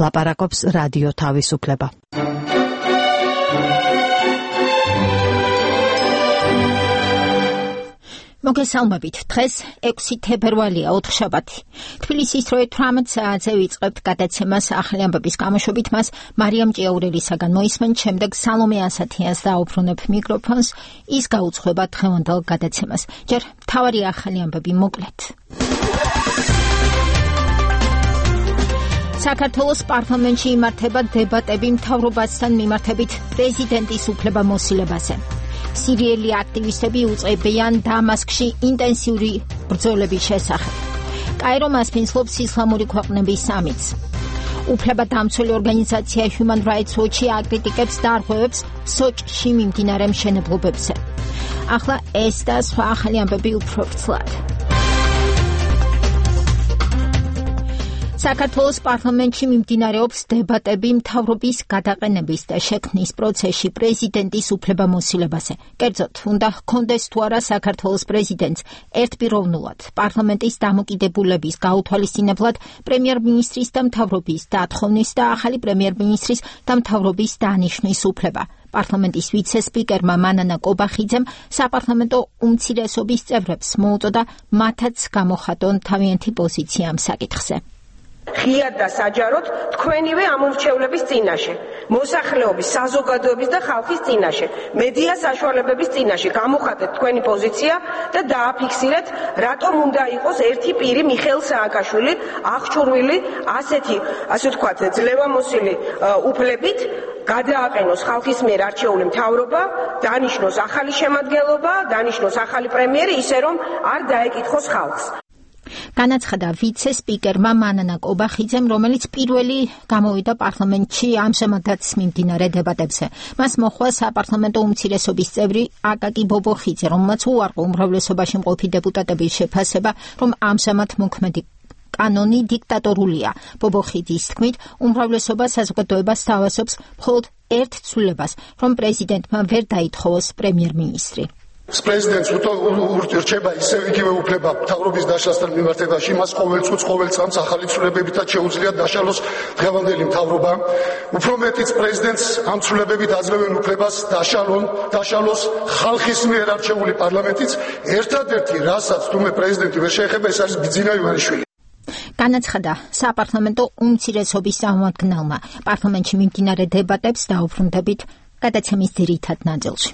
ლაპარაკობს რადიო თავისუფლება. მოგესალმებით. დღეს 6 თებერვალია, ოთხშაბათი. თბილისის 18 საათზე ვიწყებთ გადაცემას ახალი ამბების გამოშვებით. მას მარიამ ჭიაურელისაგან მოისმენთ, შემდეგ სალომე ასათიანს დაუბრუნებ მიკროფონს. ის გაუძღვება დღევანდელ გადაცემას. ჯერ მთავარი ახალი ამბები მოკლედ. საქართველოს პარლამენტში იმართება დებატები მთავრობასთან მიმართებით პრეზიდენტის უფლებამოსილებაზე. სირიელი აქტივისტები უწყებიან დამასკში ინტენსიური ბრძოლების შესახებ. კაირო მასპინძლობს ისლამური ქვეყნების სამიტს. უფლებადამცველი ორგანიზაცია Human Rights Watch აკრიტიკებს დარღვევებს სოჭში მიმდინარე მშენებლობებზე. ახლა ეს და სხვა ახალი ამბები უფრო ვრცლად. საქართველოს პარლამენტში მიმდინარეობს დებატები მთავრობის გადაყენების და შექმნის პროცესში პრეზიდენტის უფლებამოსილებაზე. კერძოდ, უნდა ჰქონდეს თუ არა საქართველოს პრეზიდენტს ერთპიროვნულად პარლამენტის დამოკიდებულების გაუთვალისწინებლად პრემიერ-მინისტრის და მთავრობის დათხოვნის და ახალი პრემიერ-მინისტრის და მთავრობის დანიშვნის უფლება. პარლამენტის ვიცე-სპიკერმა მანანა კობახიძემ საპარლამენტო უმცირესობის წევრებს მოუწოდა მათაც გამოხატონ თავიანთი პოზიცია ამ საკითხზე. ღიად და საჯაროდ თქვენივე ამორჩევლების წინაშე, მოსახლეობის, საზოგადოების და ხალხის წინაშე, მედია საშუალებების წინაშე გამოხატეთ თქვენი პოზიცია და დააფიქსირეთ, რატომ უნდა იყოს ერთი პირი მიხეილ სააკაშვილი აღჭურვილი ასეთი, ასე ვთქვათ, ძლევამოსილი უფლებით, გადააყენოს ხალხის მიერ არჩეული მთავრობა, დანიშნოს ახალი შემადგენლობა, დანიშნოს ახალი პრემიერი, ისე რომ არ დაეკითხოს ხალხს. განაცხადა ვიცე-სპიკერმა მანანა კობახიძემ, რომელიც პირველი გამოვიდა პარლამენტში ამჟამადაც მიმდინარე დებატებზე. მას მოჰყვა საპარლამენტო უმცირესობის წევრი აკაკი ბობოხიძე, რომელმაც უარყო უმრავლესობაში მყოფი დეპუტატების შეფასება, რომ ამჟამად მოქმედი კანონი დიქტატორულია. ბობოხიძის თქმით, უმრავლესობა საზოგადოებას სთავაზობს მხოლოდ ერთ ცვლილებას, რომ პრეზიდენტმა ვერ დაითხოვოს პრემიერ-მინისტრი. პრეზიდენტს ურჩება ისევ იგივე უფლება მთავრობის დაშლასთან მიმართებაში, მას ყოველ წუთს, ყოველ წამს ახალი ცვლილებებითაც შეუძლია დაშალოს დღევანდელი მთავრობა. უფრო მეტიც პრეზიდენტს ამ ცვლილებებით აძლევენ უფლებას დაშალოს ხალხის მიერ არჩეული პარლამენტიც. ერთადერთი, რასაც თუმე პრეზიდენტი ვერ შეეხება, ეს არის ბიძინა ივანიშვილი. განაცხადა საპარლამენტო უმცირესობის წარმომადგენელმა. პარლამენტში მიმდინარე დებატებს დაუბრუნდებით გადაცემის ძირითად ნაწილში.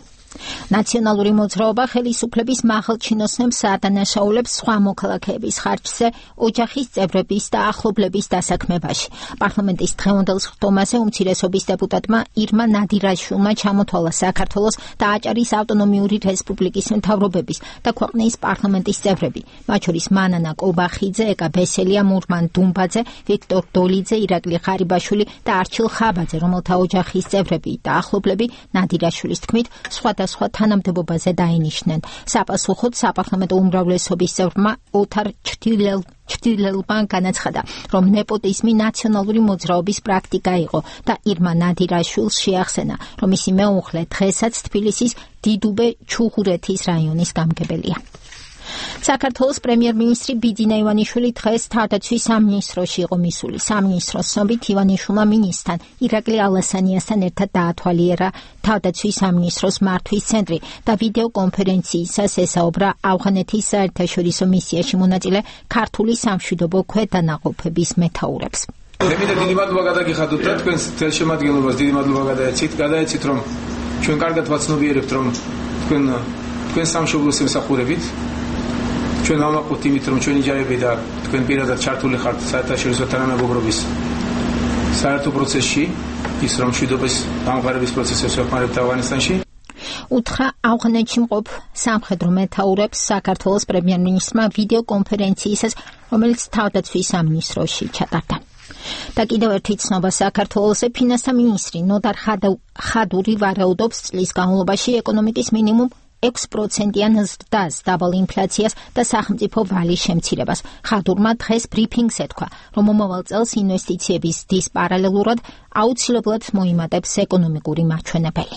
ნაციონალური მოძრაობა ხელისუფლების მაღალჩინოსნებს ადანაშაულებს სხვა მოქალაქეების ხარჯზე ოჯახის წევრების და ახლობლების დასაქმებაში. პარლამენტის დღევანდელ სხდომაზე უმცირესობის დეპუტატმა ირმა ნადირაშვილმა ჩამოთვალა საქართველოს და აჭარის ავტონომიური რესპუბლიკის მთავრობების და ქვეყნის პარლამენტის წევრები, მათ შორის მანანა კობახიძე, ეკა ბესელია, მურმან დუმბაძე, ვიქტორ დოლიძე, ირაკლი ღარიბაშვილი და არჩილ ხაბაძე, რომელთა ოჯახის წევრები და ახლობლები ნადირაშვილის თქმით სხვადასხვა თანამდებობაზე დაინიშნენ. საპასუხოდ საპარლამენტო უმრავლესობის წევრმა ოთარ ჩრდილელმა განაცხადა, რომ ნეპოტიზმი ნაციონალური მოძრაობის პრაქტიკა იყო და ირმა ნადირაშვილს შეახსენა, რომ ისი მეუღლე დღესაც თბილისის დიდუბე ჩუღურეთის რაიონის გამგებელია. საქართველოს პრემიერ-მინისტრი ბიძინა ივანიშვილი დღეს თავდაცვის სამინისტროში იყო მისული. სამინისტროს ცნობით ივანიშვილმა მინისტრთან ირაკლი ალასანიასთან ერთად დაათვალიერა თავდაცვის სამინისტროს მართვის ცენტრი და ვიდეო კონფერენციისას ესაუბრა ავღანეთის საერთაშორისო მისიაში მონაწილე ქართული სამშვიდობო ქვედანაყოფების მეთაურებს. დიდი მადლობა გადაგიხადოთ და თქვენს შემადგენლობას დიდი მადლობა გადაეცით, რომ ჩვენ კარგად ვაცნობიერებთ, რომ თქვენ სამშობლოს ემსახურებით. ჩვენ ვამაყობთ იმით, რომ ჩვენი ჯარები და თქვენ პირადად ჩართული ხართ საერთაშორისო თანამეგობრობის საერთო პროცესში, ის რომ მშვიდობის დამყარების პროცესებს ვეხმარებთ ავღანისტანში. უთხრა ავღანეთში მყოფ სამხედრო მეთაურებს საქართველოს პრემიერ-მინისტრმა ვიდეო კონფერენციისას, რომელიც თავდაცვის სამინისტროში ჩატარდა. და კიდევ ერთი ცნობა საქართველოს ფინანსთა მინისტრი ნოდარ ხადური ვარაუდობს წლის განმავლობაში ეკონომიკის მინიმუმ 6%-იან ზრდას, დაბალ ინფლაციას და სახელმწიფო ვალის შემცირებას. ხადურმა დღეს ბრიფინგზე თქვა, რომ მომავალ წელს ინვესტიციების ზრდის პარალელურად აუცილებლად მოიმატებს ეკონომიკური მაჩვენებელი.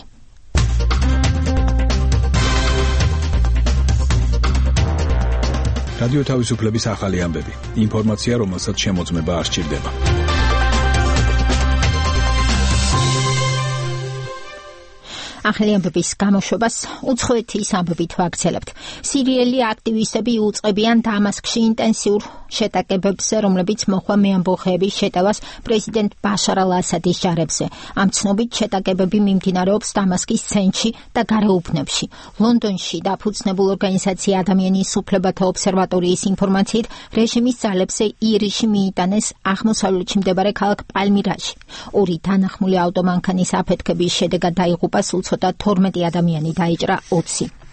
რადიო თავისუფლების ახალი ამბები. ინფორმაცია, რომელსაც შემოწმება არ სჭირდება. ახალი ამბების გამოშვებას უცხოეთის ამბებით ვაგრძელებთ. სირიელი აქტივისტები უწყებიან დამასკში ინტენსიურ შეტაკებებზე, რომლებიც მოხდა მეამბოხეების შეტევას პრეზიდენტ ბაშარ ალ-ასადის ჯარებზე. ამ ცნობით შეტაკებები მიმდინარეობს დამასკის ცენტრში და გარეუბნებში. ლონდონში დაფუძნებულ ორგანიზაცია ადამიანის უფლებათა ობსერვატორიის ინფორმაციით, რეჟიმის ძალებზე ირიში მიიტანეს აღმოსავლეთში მდებარე ქალაქ პალმირაში. ორი თანახმული ავტომანქანის აფეთქების შედეგად დაიღუპა სულ ცოტა 12 ადამიანი, დაიჭრა 20.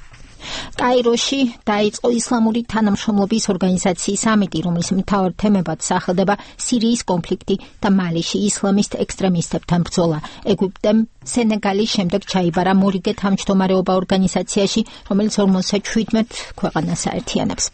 კაიროში დაიწყო ისლამური თანამშრომლობის ორგანიზაციის სამიტი, რომლის მთავარ თემებად სახელდება სირიის კონფლიქტი და მალიში ისლამისტ ექსტრემისტებთან ბრძოლა. ეგვიპტემ სენეგალის შემდეგ ჩაიბარა მორიგე თავმჯდომარეობა ორგანიზაციაში, რომელიც 57 ქვეყანას აერთიანებს.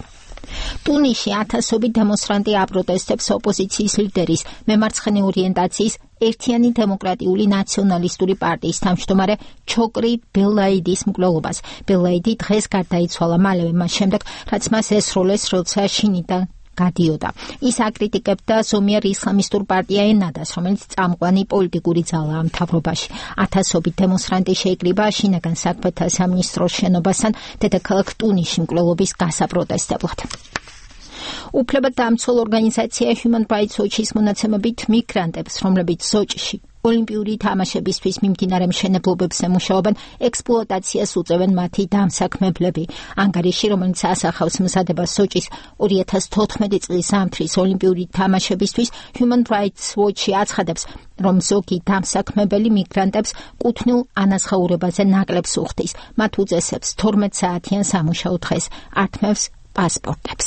ტუნისში ათასობით დემონსტრანტი აპროტესტებს ოპოზიციის ლიდერის მემარცხენე ორიენტაციის ერთიანი დემოკრატიული ნაციონალისტური პარტიის თავმჯდომარე ჩოკრი ბელაიდის მკვლელობას. ბელაიდი დღეს გარდაიცვალა მალევე მას შემდეგ, რაც მას ესროლეს, როცა შინიდან გადიოდა. ის აკრიტიკებდა ზომიერ ისლამისტურ პარტია ენადას, რომელიც წამყვანი პოლიტიკური ძალაა მთავრობაში. ათასობით დემონსტრანტი შეიკრიბა შინაგან საქმეთა სამინისტროს შენობასთან დედაქალაქ ტუნისში მკვლელობის გასაპროტესტებლად. უფლებადამცველ ორგანიზაცია Human Rights Watch-ის მონაცემებით მიგრანტებს, რომლებიც სოჭში ოლიმპიური თამაშებისთვის მიმდინარე მშენებლობებზე მუშაობენ, ექსპლუატაციას უწევენ მათი დამსაქმებლები. ანგარიში, რომელიც ასახავს მზადებას სოჭის 2014 წლის ზამთრის ოლიმპიური თამაშებისთვის, Human Rights Watch-ი აცხადებს, რომ ზოგი დამსაქმებელი მიგრანტებს კუთვნილ ანაზღაურებაზე ნაკლებს უხდის. მათ უწესებს 12 საათიან სამუშაო დღეს, ართმევს პასპორტებს.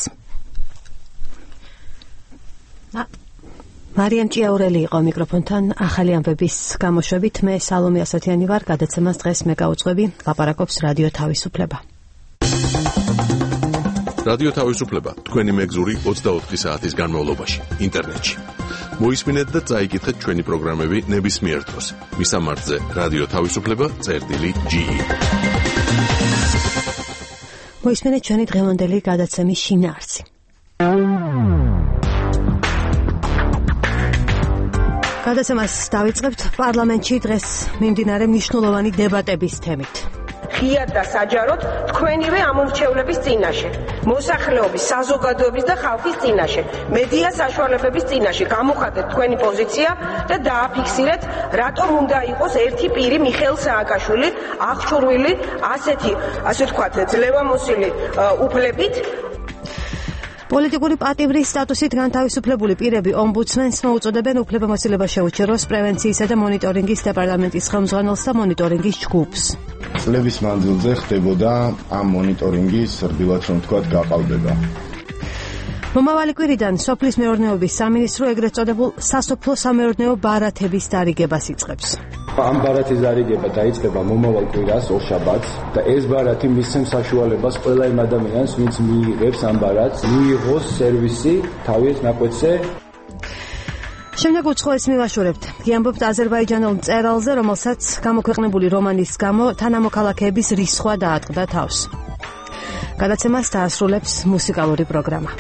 მარიამ ჭიაურელი იყო მიკროფონთან ახალი ამბების გამოშვებით. მე სალომე ასათიანი ვარ, გადაცემას დღეს მე გავუძღვები, ლაპარაკობს რადიო თავისუფლება. რადიო თავისუფლება თქვენი მეგზური 24 საათის განმავლობაში ინტერნეტში. მოისმინეთ და წაიკითხეთ ჩვენი პროგრამები ნებისმიერ დროს. მისამართზე რადიო თავისუფლება.ge. მოისმინეთ ჩვენი დღევანდელი გადაცემის შინაარსი. გადაცემას დავიწყებთ პარლამენტში დღეს მიმდინარე მნიშვნელოვანი დებატების თემით. ღიად და საჯაროდ თქვენივე ამორჩევლების წინაშე, მოსახლეობის, საზოგადოების და ხალხის წინაშე, მედია საშუალებების წინაშე გამოხატეთ თქვენი პოზიცია და დააფიქსირეთ, რატომ უნდა იყოს ერთი პირი მიხეილ სააკაშვილი აღჭურვილი ასე ვთქვათ, ძლევამოსილი უფლებით. პოლიტიკური პატივრის სტატუსით განთავისუფლებული პირები ომბუდსმენს მოუწოდებენ უფლებამოსილება შეუჩეროს პრევენციისა და მონიტორინგის დეპარტამენტის ხელმძღვანელს და მონიტორინგის ჯგუფს. წლების მანძილზე ხდებოდა ამ მონიტორინგის რბილად რომ თქვათ გაყალბება. მომავალი კვირიდან სოფლის მეურნეობის სამინისტრო ეგრეთ წოდებულ სასოფლო სამეურნეო ბარათების დარიგებას იწყებს. ამ ბარათის დარიგება დაიწყება მომავალ კვირას ორშაბათს და ეს ბარათი მისცემს საშუალებას ყველა იმ ადამიანს, ვინც მიიღებს ამ ბარათს, მიიღოს სერვისი თავის ნაკვეთზე. შემდეგ უცხოეთს მივაშორებთ. გიამბობთ აზერბაიჯანელ მწერალზე, რომელსაც გამოქვეყნებული რომანის გამო თანამოქალაქეების რისხვა დაატყდა თავს. გადაცემას დაასრულებს მუსიკალური პროგრამა.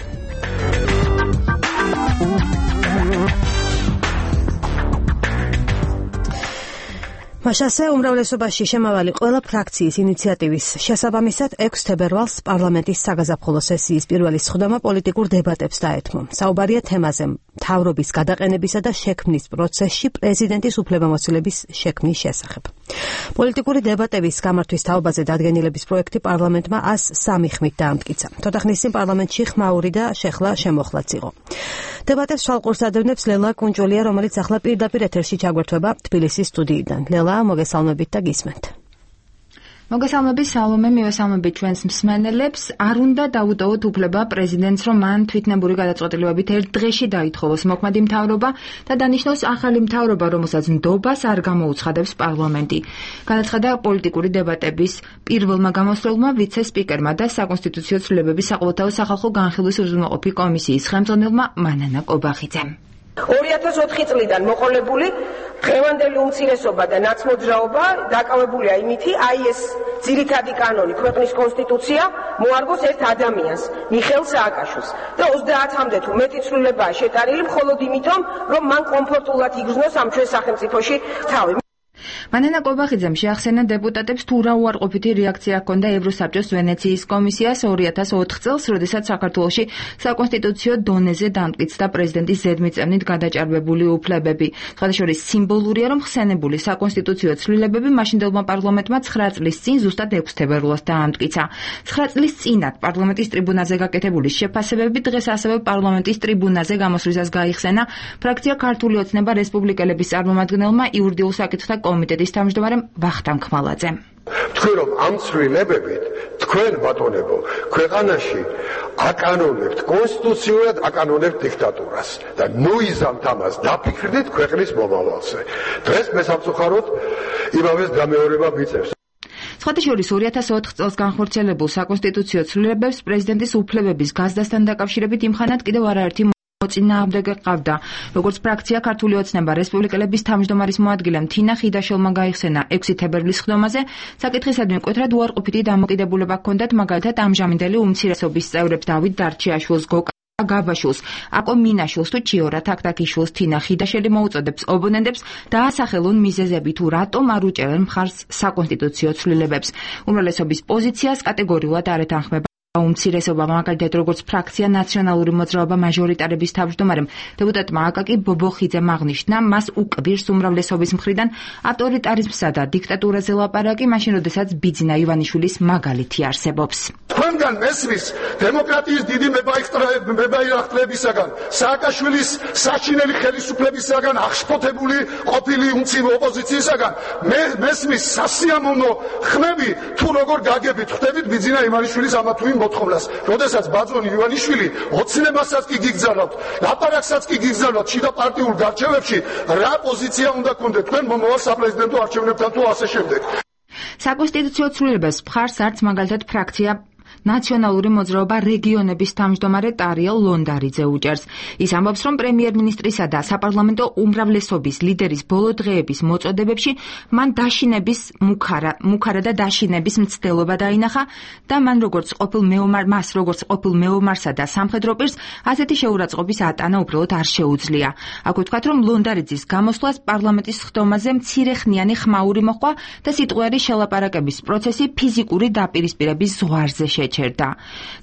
მაშასე უმრავლესობაში შემავალი ყველა ფრაქციის ინიციატივის შესაბამისად 6 თებერვალს პარლამენტის საგაზაფხულო სესიის პირველი სხდომა პოლიტიკურ დებატებს დაეთმო. საუბარია თემაზე მთავრობის გადაყენებისა და შექმნის პროცესში პრეზიდენტის უფლებამოსილების შექმნის შესახებ. პოლიტიკური დებატების გამართვის თაობაზე დადგენილების პროექტი პარლამენტმა 103 ხმით დაამტკიცა. თოთახნის წინ პარლამენტში ხმაური და შეხლა შემოხლაც იყო. დებატებს თვალყურს ადევნებს ლელა კუნჭოლია, რომელიც ახლა პირდაპირ ეთერში ჩაგვერთვება თბილისის სტუდიიდან. ლელა, მოგესალმებით და გისმენთ. მოგესალმებით სალომე, მივესალმებით ჩვენს მსმენელებს. არ უნდა დაუტოვოთ უფლება პრეზიდენტს, რომ მან თვითნებური გადაწყვეტილებებით ერთ დღეში დაითხოვოს მოქმედი მთავრობა და დანიშნოს ახალი მთავრობა, რომელსაც ნდობას არ გამოუცხადებს პარლამენტი. განაცხადა პოლიტიკური დებატების პირველმა გამოსვლელმა ვიცე-სპიკერმა და საკონსტიტუციო ცვლილებების საყოველთაო სახალხო განხილვის უზრუნველყოფი კომისიის ხელმძღვანელმა მანანა კობახიძემ. 2004 წლიდან მოყოლებული დღევანდელი უმცირესობა და ნაცმოძრაობა დაკავებულია იმითი, ეს ძირითადი კანონი ქვეყნის კონსტიტუცია მოარგოს ერთ ადამიანს, მიხეილ სააკაშვილს და 30-მდე თუ მეტი ცვლილებაა შეტანილი მხოლოდ იმითომ, რომ მან კომფორტულად იგრძნოს ამ ჩვენ სახელმწიფოში თავი. მანანა კობახიძემ შეახსენა დეპუტატებს თუ რა უარყოფითი რეაქცია ჰქონდა ევროსაბჭოს ვენეციის კომისიას 2004 წელს, როდესაც საქართველოში საკონსტიტუციო დონეზე დამტკიცდა პრეზიდენტის ზედმიწევნით გადაჭარბებული უფლებები. სხვადასხვა სიმბოლურია, რომ ხსენებული საკონსტიტუციო ცვლილებები მაშინდელმა პარლამენტმა 9 წლის წინ ზუსტად 6 თებერვალს დაამტკიცა. 9 წლის წინათ პარლამენტის ტრიბუნაზე გაკეთებული შეფასებები დღეს ასევე პარლამენტის ტრიბუნაზე გამოსვლისას გაიხსენა ფრაქცია ქართული ოცნება რესპუბლიკელების წარმომადგენელმა იურიდიულ საკითხთა კომიტეტის თავმჯდომარემ ვახტანგ ხმალაძემ. თქვენ რომ ამ ცვლილებებით თქვენ ბატონებო ქვეყანაში აკანონებთ კონსტიტუციურად აკანონებთ დიქტატურას და ნუიზამთ ამას დაფიქრდით ქვეყნის მომავალზე. დღეს მე სამწუხაროდ იმავეს გამეორება მიწევს. სხვათა შორის 2004 წელს განხორციელებულ საკონსტიტუციო ცვლილებებს პრეზიდენტის უფლებების გაზრდასთან დაკავშირებით იმხანად კიდევ არაერთი მოწინააღმდეგე ყავდა. როგორც ფრაქცია ქართული ოცნება რესპუბლიკელების თავმჯდომარის მოადგილემ თინა ხიდაშელმა გაიხსენა 6 თებერვლის ხდომაზე, საკითხისადმი მკვეთრად უარყოფითი დამოკიდებულება ჰქონდათ მაგალითად ამჟამინდელი უმცირესობის წევრებს დავით დარჩიაშვილს, გოკა გაბაშვილს, აკო მინაშვილს თუ ჩიორა თაქთაქიშვილს თინა ხიდაშელი მოუწოდებს ოპონენტებს დაასახელონ მიზეზები თუ რატომ არ უჭერენ მხარს საკონსტიტუციო ცვლილებებს. უმრავლესობის პოზიციას კატეგორიულად არ ეთანხმება უმცირესობა, მაგალითად როგორც ფრაქცია ნაციონალური მოძრაობა მაჟორიტარების თავმჯდომარემ დეპუტატმა აკაკი ბობოხიძემ აღნიშნა, მას უკვირს უმრავლესობის მხრიდან ავტორიტარიზმსა და დიქტატურაზე ლაპარაკი, მაშინ როდესაც ბიძინა ივანიშვილის მაგალითი არსებობს. თქვენგან მესმის დემოკრატიის დიდი მებაირახტლებისაგან, სააკაშვილის საჩინელი ხელისუფლებისაგან, აღშფოთებული ყოფილი უმცირე ოპოზიციისაგან, მესმის სასიამოვნო ხმები თუ როგორ გაგებით ხვდებით ბიძინა ივანიშვილის ამა თუ იმ მოთხოვნას, როდესაც ბაძონი ივანიშვილი ოცნებასაც კი გიგზავნოთ, ლაპარაკსაც კი გიგზავნოთ შიდა პარტიულ გარჩევებში, რა პოზიცია უნდა გქონდეთ თქვენ მომავალ საპრეზიდენტო არჩევნებთან თუ ასე შემდეგ. საკონსტიტუციო ცვლილებებს მხარს არც მაგალითად ფრაქცია ნაციონალური მოძრაობა რეგიონების თავმჯდომარე ტარიელ ლონდარიძე უჭერს. ის ამბობს, რომ პრემიერ-მინისტრისა და საპარლამენტო უმრავლესობის ლიდერის ბოლო დღეების მოწოდებებში მან დაშინების მუქარა და დაშინების მცდელობა დაინახა და მას როგორც ყოფილ მეომარსა და სამხედრო პირს ასეთი შეურაცხყოფის ატანა უბრალოდ არ შეუძლია. აქვე ვთქვათ, რომ ლონდარიძის გამოსვლას პარლამენტის ხდომაზე მცირეხნიანი ხმაური მოჰყვა და სიტყვიერი შელაპარაკების პროცესი ფიზიკური დაპირისპირების ზღვარზე შეჩერდა.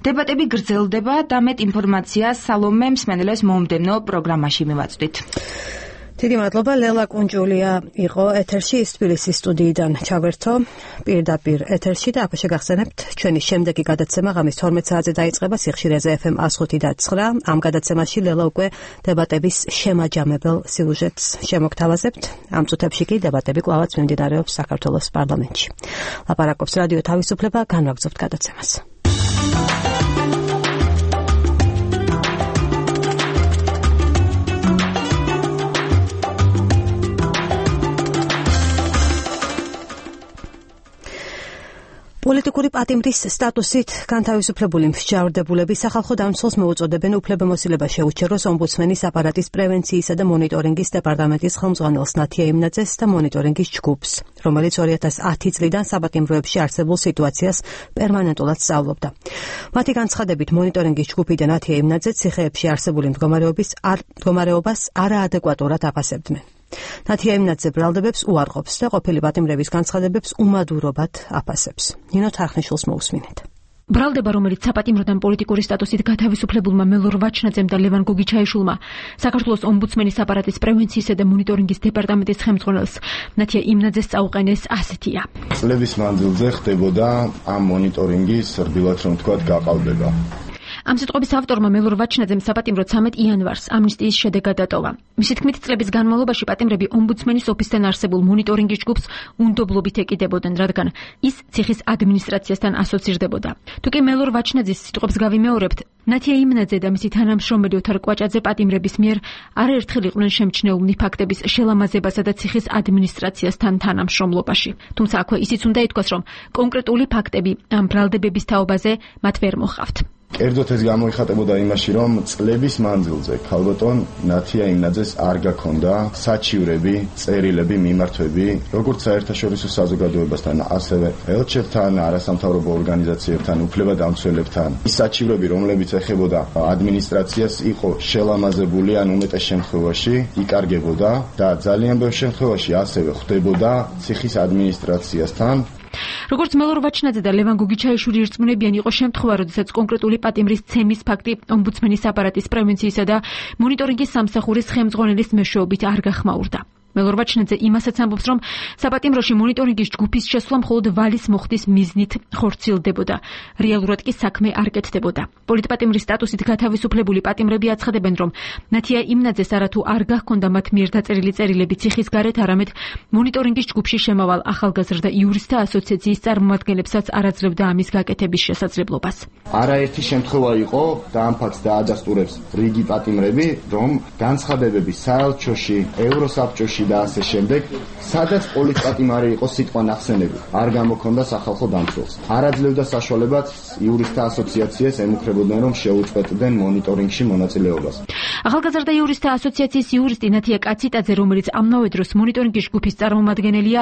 დებატები გრძელდება და მეტ ინფორმაციას სალომე მსმენელებს მომდევნო პროგრამაში მივაწვდით. დიდი მადლობა. ლელა კუნჯულია იყო ეთერში თბილისის სტუდიიდან ჩავერთო პირდაპირ ეთერში და აქ შეგახსენებთ ჩვენი შემდეგი გადაცემა ღამის 12 საათზე დაიწყება სიხშირეზე FM 105.9. ამ გადაცემაში ლელა უკვე დებატების შემაჯამებელ სიუჟეტს შემოგთავაზებთ. ამ წუთებში კი დებატები კვლავაც მიმდინარეობს საქართველოს პარლამენტში. ლაპარაკობს რადიო თავისუფლება, განვაგრძობთ გადაცემას. პოლიტიკური პატიმრის სტატუსით განთავისუფლებული მსჯავრდებულები სახალხო დამცველს მოუწოდებენ უფლებამოსილება შეუჩეროს ომბუდსმენის აპარატის პრევენციისა და მონიტორინგის დეპარტამენტის ხელმძღვანელს ნათია იმნაძეს და მონიტორინგის ჯგუფს, რომელიც 2010 წლიდან საბატიმროებში არსებულ სიტუაციას პერმანენტულად სწავლობდა. მათი განცხადებით მონიტორინგის ჯგუფი და ნათია იმნაძე ციხეებში არსებული მდგომარეობას არაადეკვატურად აფასებდნენ. ნათია იმნაძე ბრალდებებს უარყოფს და ყოფილი პატიმრების განცხადებებს უმადურობად აფასებს. ნინო თარხნიშვილს მოусმინეთ. ბრალდება, რომელიც საპატიმროდან პოლიტიკური სტატუსით გათავისუფლებულმა მელორ ვაჩნაძემ და ლევან გოგიჩაიშვილმა საქართველოს ომბუდსმენის აპარატის პრევენციისა და მონიტორინგის დეპარტამენტის ხელმძღვანელს ნათია იმნაძეს წაუყენეს ასეთია. წლების მანძილზე ხდებოდა ამ მონიტორინგის რბილად რომ თქვა გაყალბება. ამ სიტყვების ავტორმა მელორ ვაჩნაძემ საპატიმრო 13 იანვარს ამნისტიის შედეგად დატოვა. მისი თქმით, წლების განმავლობაში პატიმრები ომბუდსმენის ოფისთან არსებულ მონიტორინგის ჯგუფს უნდობლობით ეკიდებოდნენ, რადგან ის ციხის ადმინისტრაციასთან ასოცირდებოდა. თუკი მელორ ვაჩნაძის სიტყვებს გავიმეორებთ, ნათია იმნაძე და მისი თანამშრომელი ოთარ კვაჭაძე პატიმრების მიერ არაერთხელ იყვნენ შემჩნეულნი ფაქტების შელამაზებასა და ციხის ადმინისტრაციასთან თანამშრომლობაში. თუმცა აქვე ისიც უნდა ითქვას, რომ კონკრეტული ფაქტები ამ ბრალდებების თაობაზე მათ ვერ მოჰყავთ. კერძოდ ეს გამოიხატებოდა იმაში, რომ წლების მანძილზე ქალბატონ ნათია იმნაძეს არ გაქონდა საჩივრები, წერილები, მიმართვები, როგორც საერთაშორისო საზოგადოებასთან, ასევე ელჩებთან, არასამთავრობო ორგანიზაციებთან, უფლებადამცველებთან. ის საჩივრები, რომლებიც ეხებოდა ადმინისტრაციას, იყო შელამაზებული, ან უმეტეს შემთხვევაში იკარგებოდა და ძალიან ბევრ შემთხვევაში ასევე ხვდებოდა ციხის ადმინისტრაციასთან. როგორც მელორ ვაჩნაძე და ლევან გოგიჩაიშვილი ირწმუნებიან, იყო შემთხვევა, როდესაც კონკრეტული პატიმრის ცემის ფაქტი ომბუდსმენის აპარატის პრევენციისა და მონიტორინგის სამსახურის ხელმძღვანელის მეშვეობით არ გახმაურდა. მელორ ვაჩნაძე იმასაც ამბობს, რომ საპატიმროში მონიტორინგის ჯგუფის შესვლა მხოლოდ ვალის მოხდის მიზნით ხორციელდებოდა. რეალურად კი საქმე არ კეთდებოდა. პოლიტპატიმრის სტატუსით გათავისუფლებული პატიმრები აცხადებენ, რომ ნათია იმნაძეს არათუ არ გახონდა მათ მიერ დაწერილი წერილები ციხის გარეთ, არამედ მონიტორინგის ჯგუფში შემავალ ახალგაზრდა იურისტთა ასოციაციის წარმომადგენლებსაც არ აძლევდა ამის გაკეთების შესაძლებლობას. არაერთი შემთხვევა იყო და ამ ფაქტს დაადასტურებს რიგი პატიმრები, რომ განცხადებები საელჩოში, ევროსაბჭოში და ასე შემდეგ, სადაც პოლიტპატიმარი იყო სიტყვა ნახსენები, არ გამოქონდა სახალხო დამცველს. არ აძლევდა საშუალებას იურისტთა ასოციაციას ემუქრებოდნენ, რომ შეუწყვეტდნენ მონიტორინგში მონაწილეობას. ახალგაზრდა იურისტთა ასოციაციის იურისტი ნათია კაციტაძე, რომელიც ამავე დროს მონიტორინგის ჯგუფის წარმომადგენელია,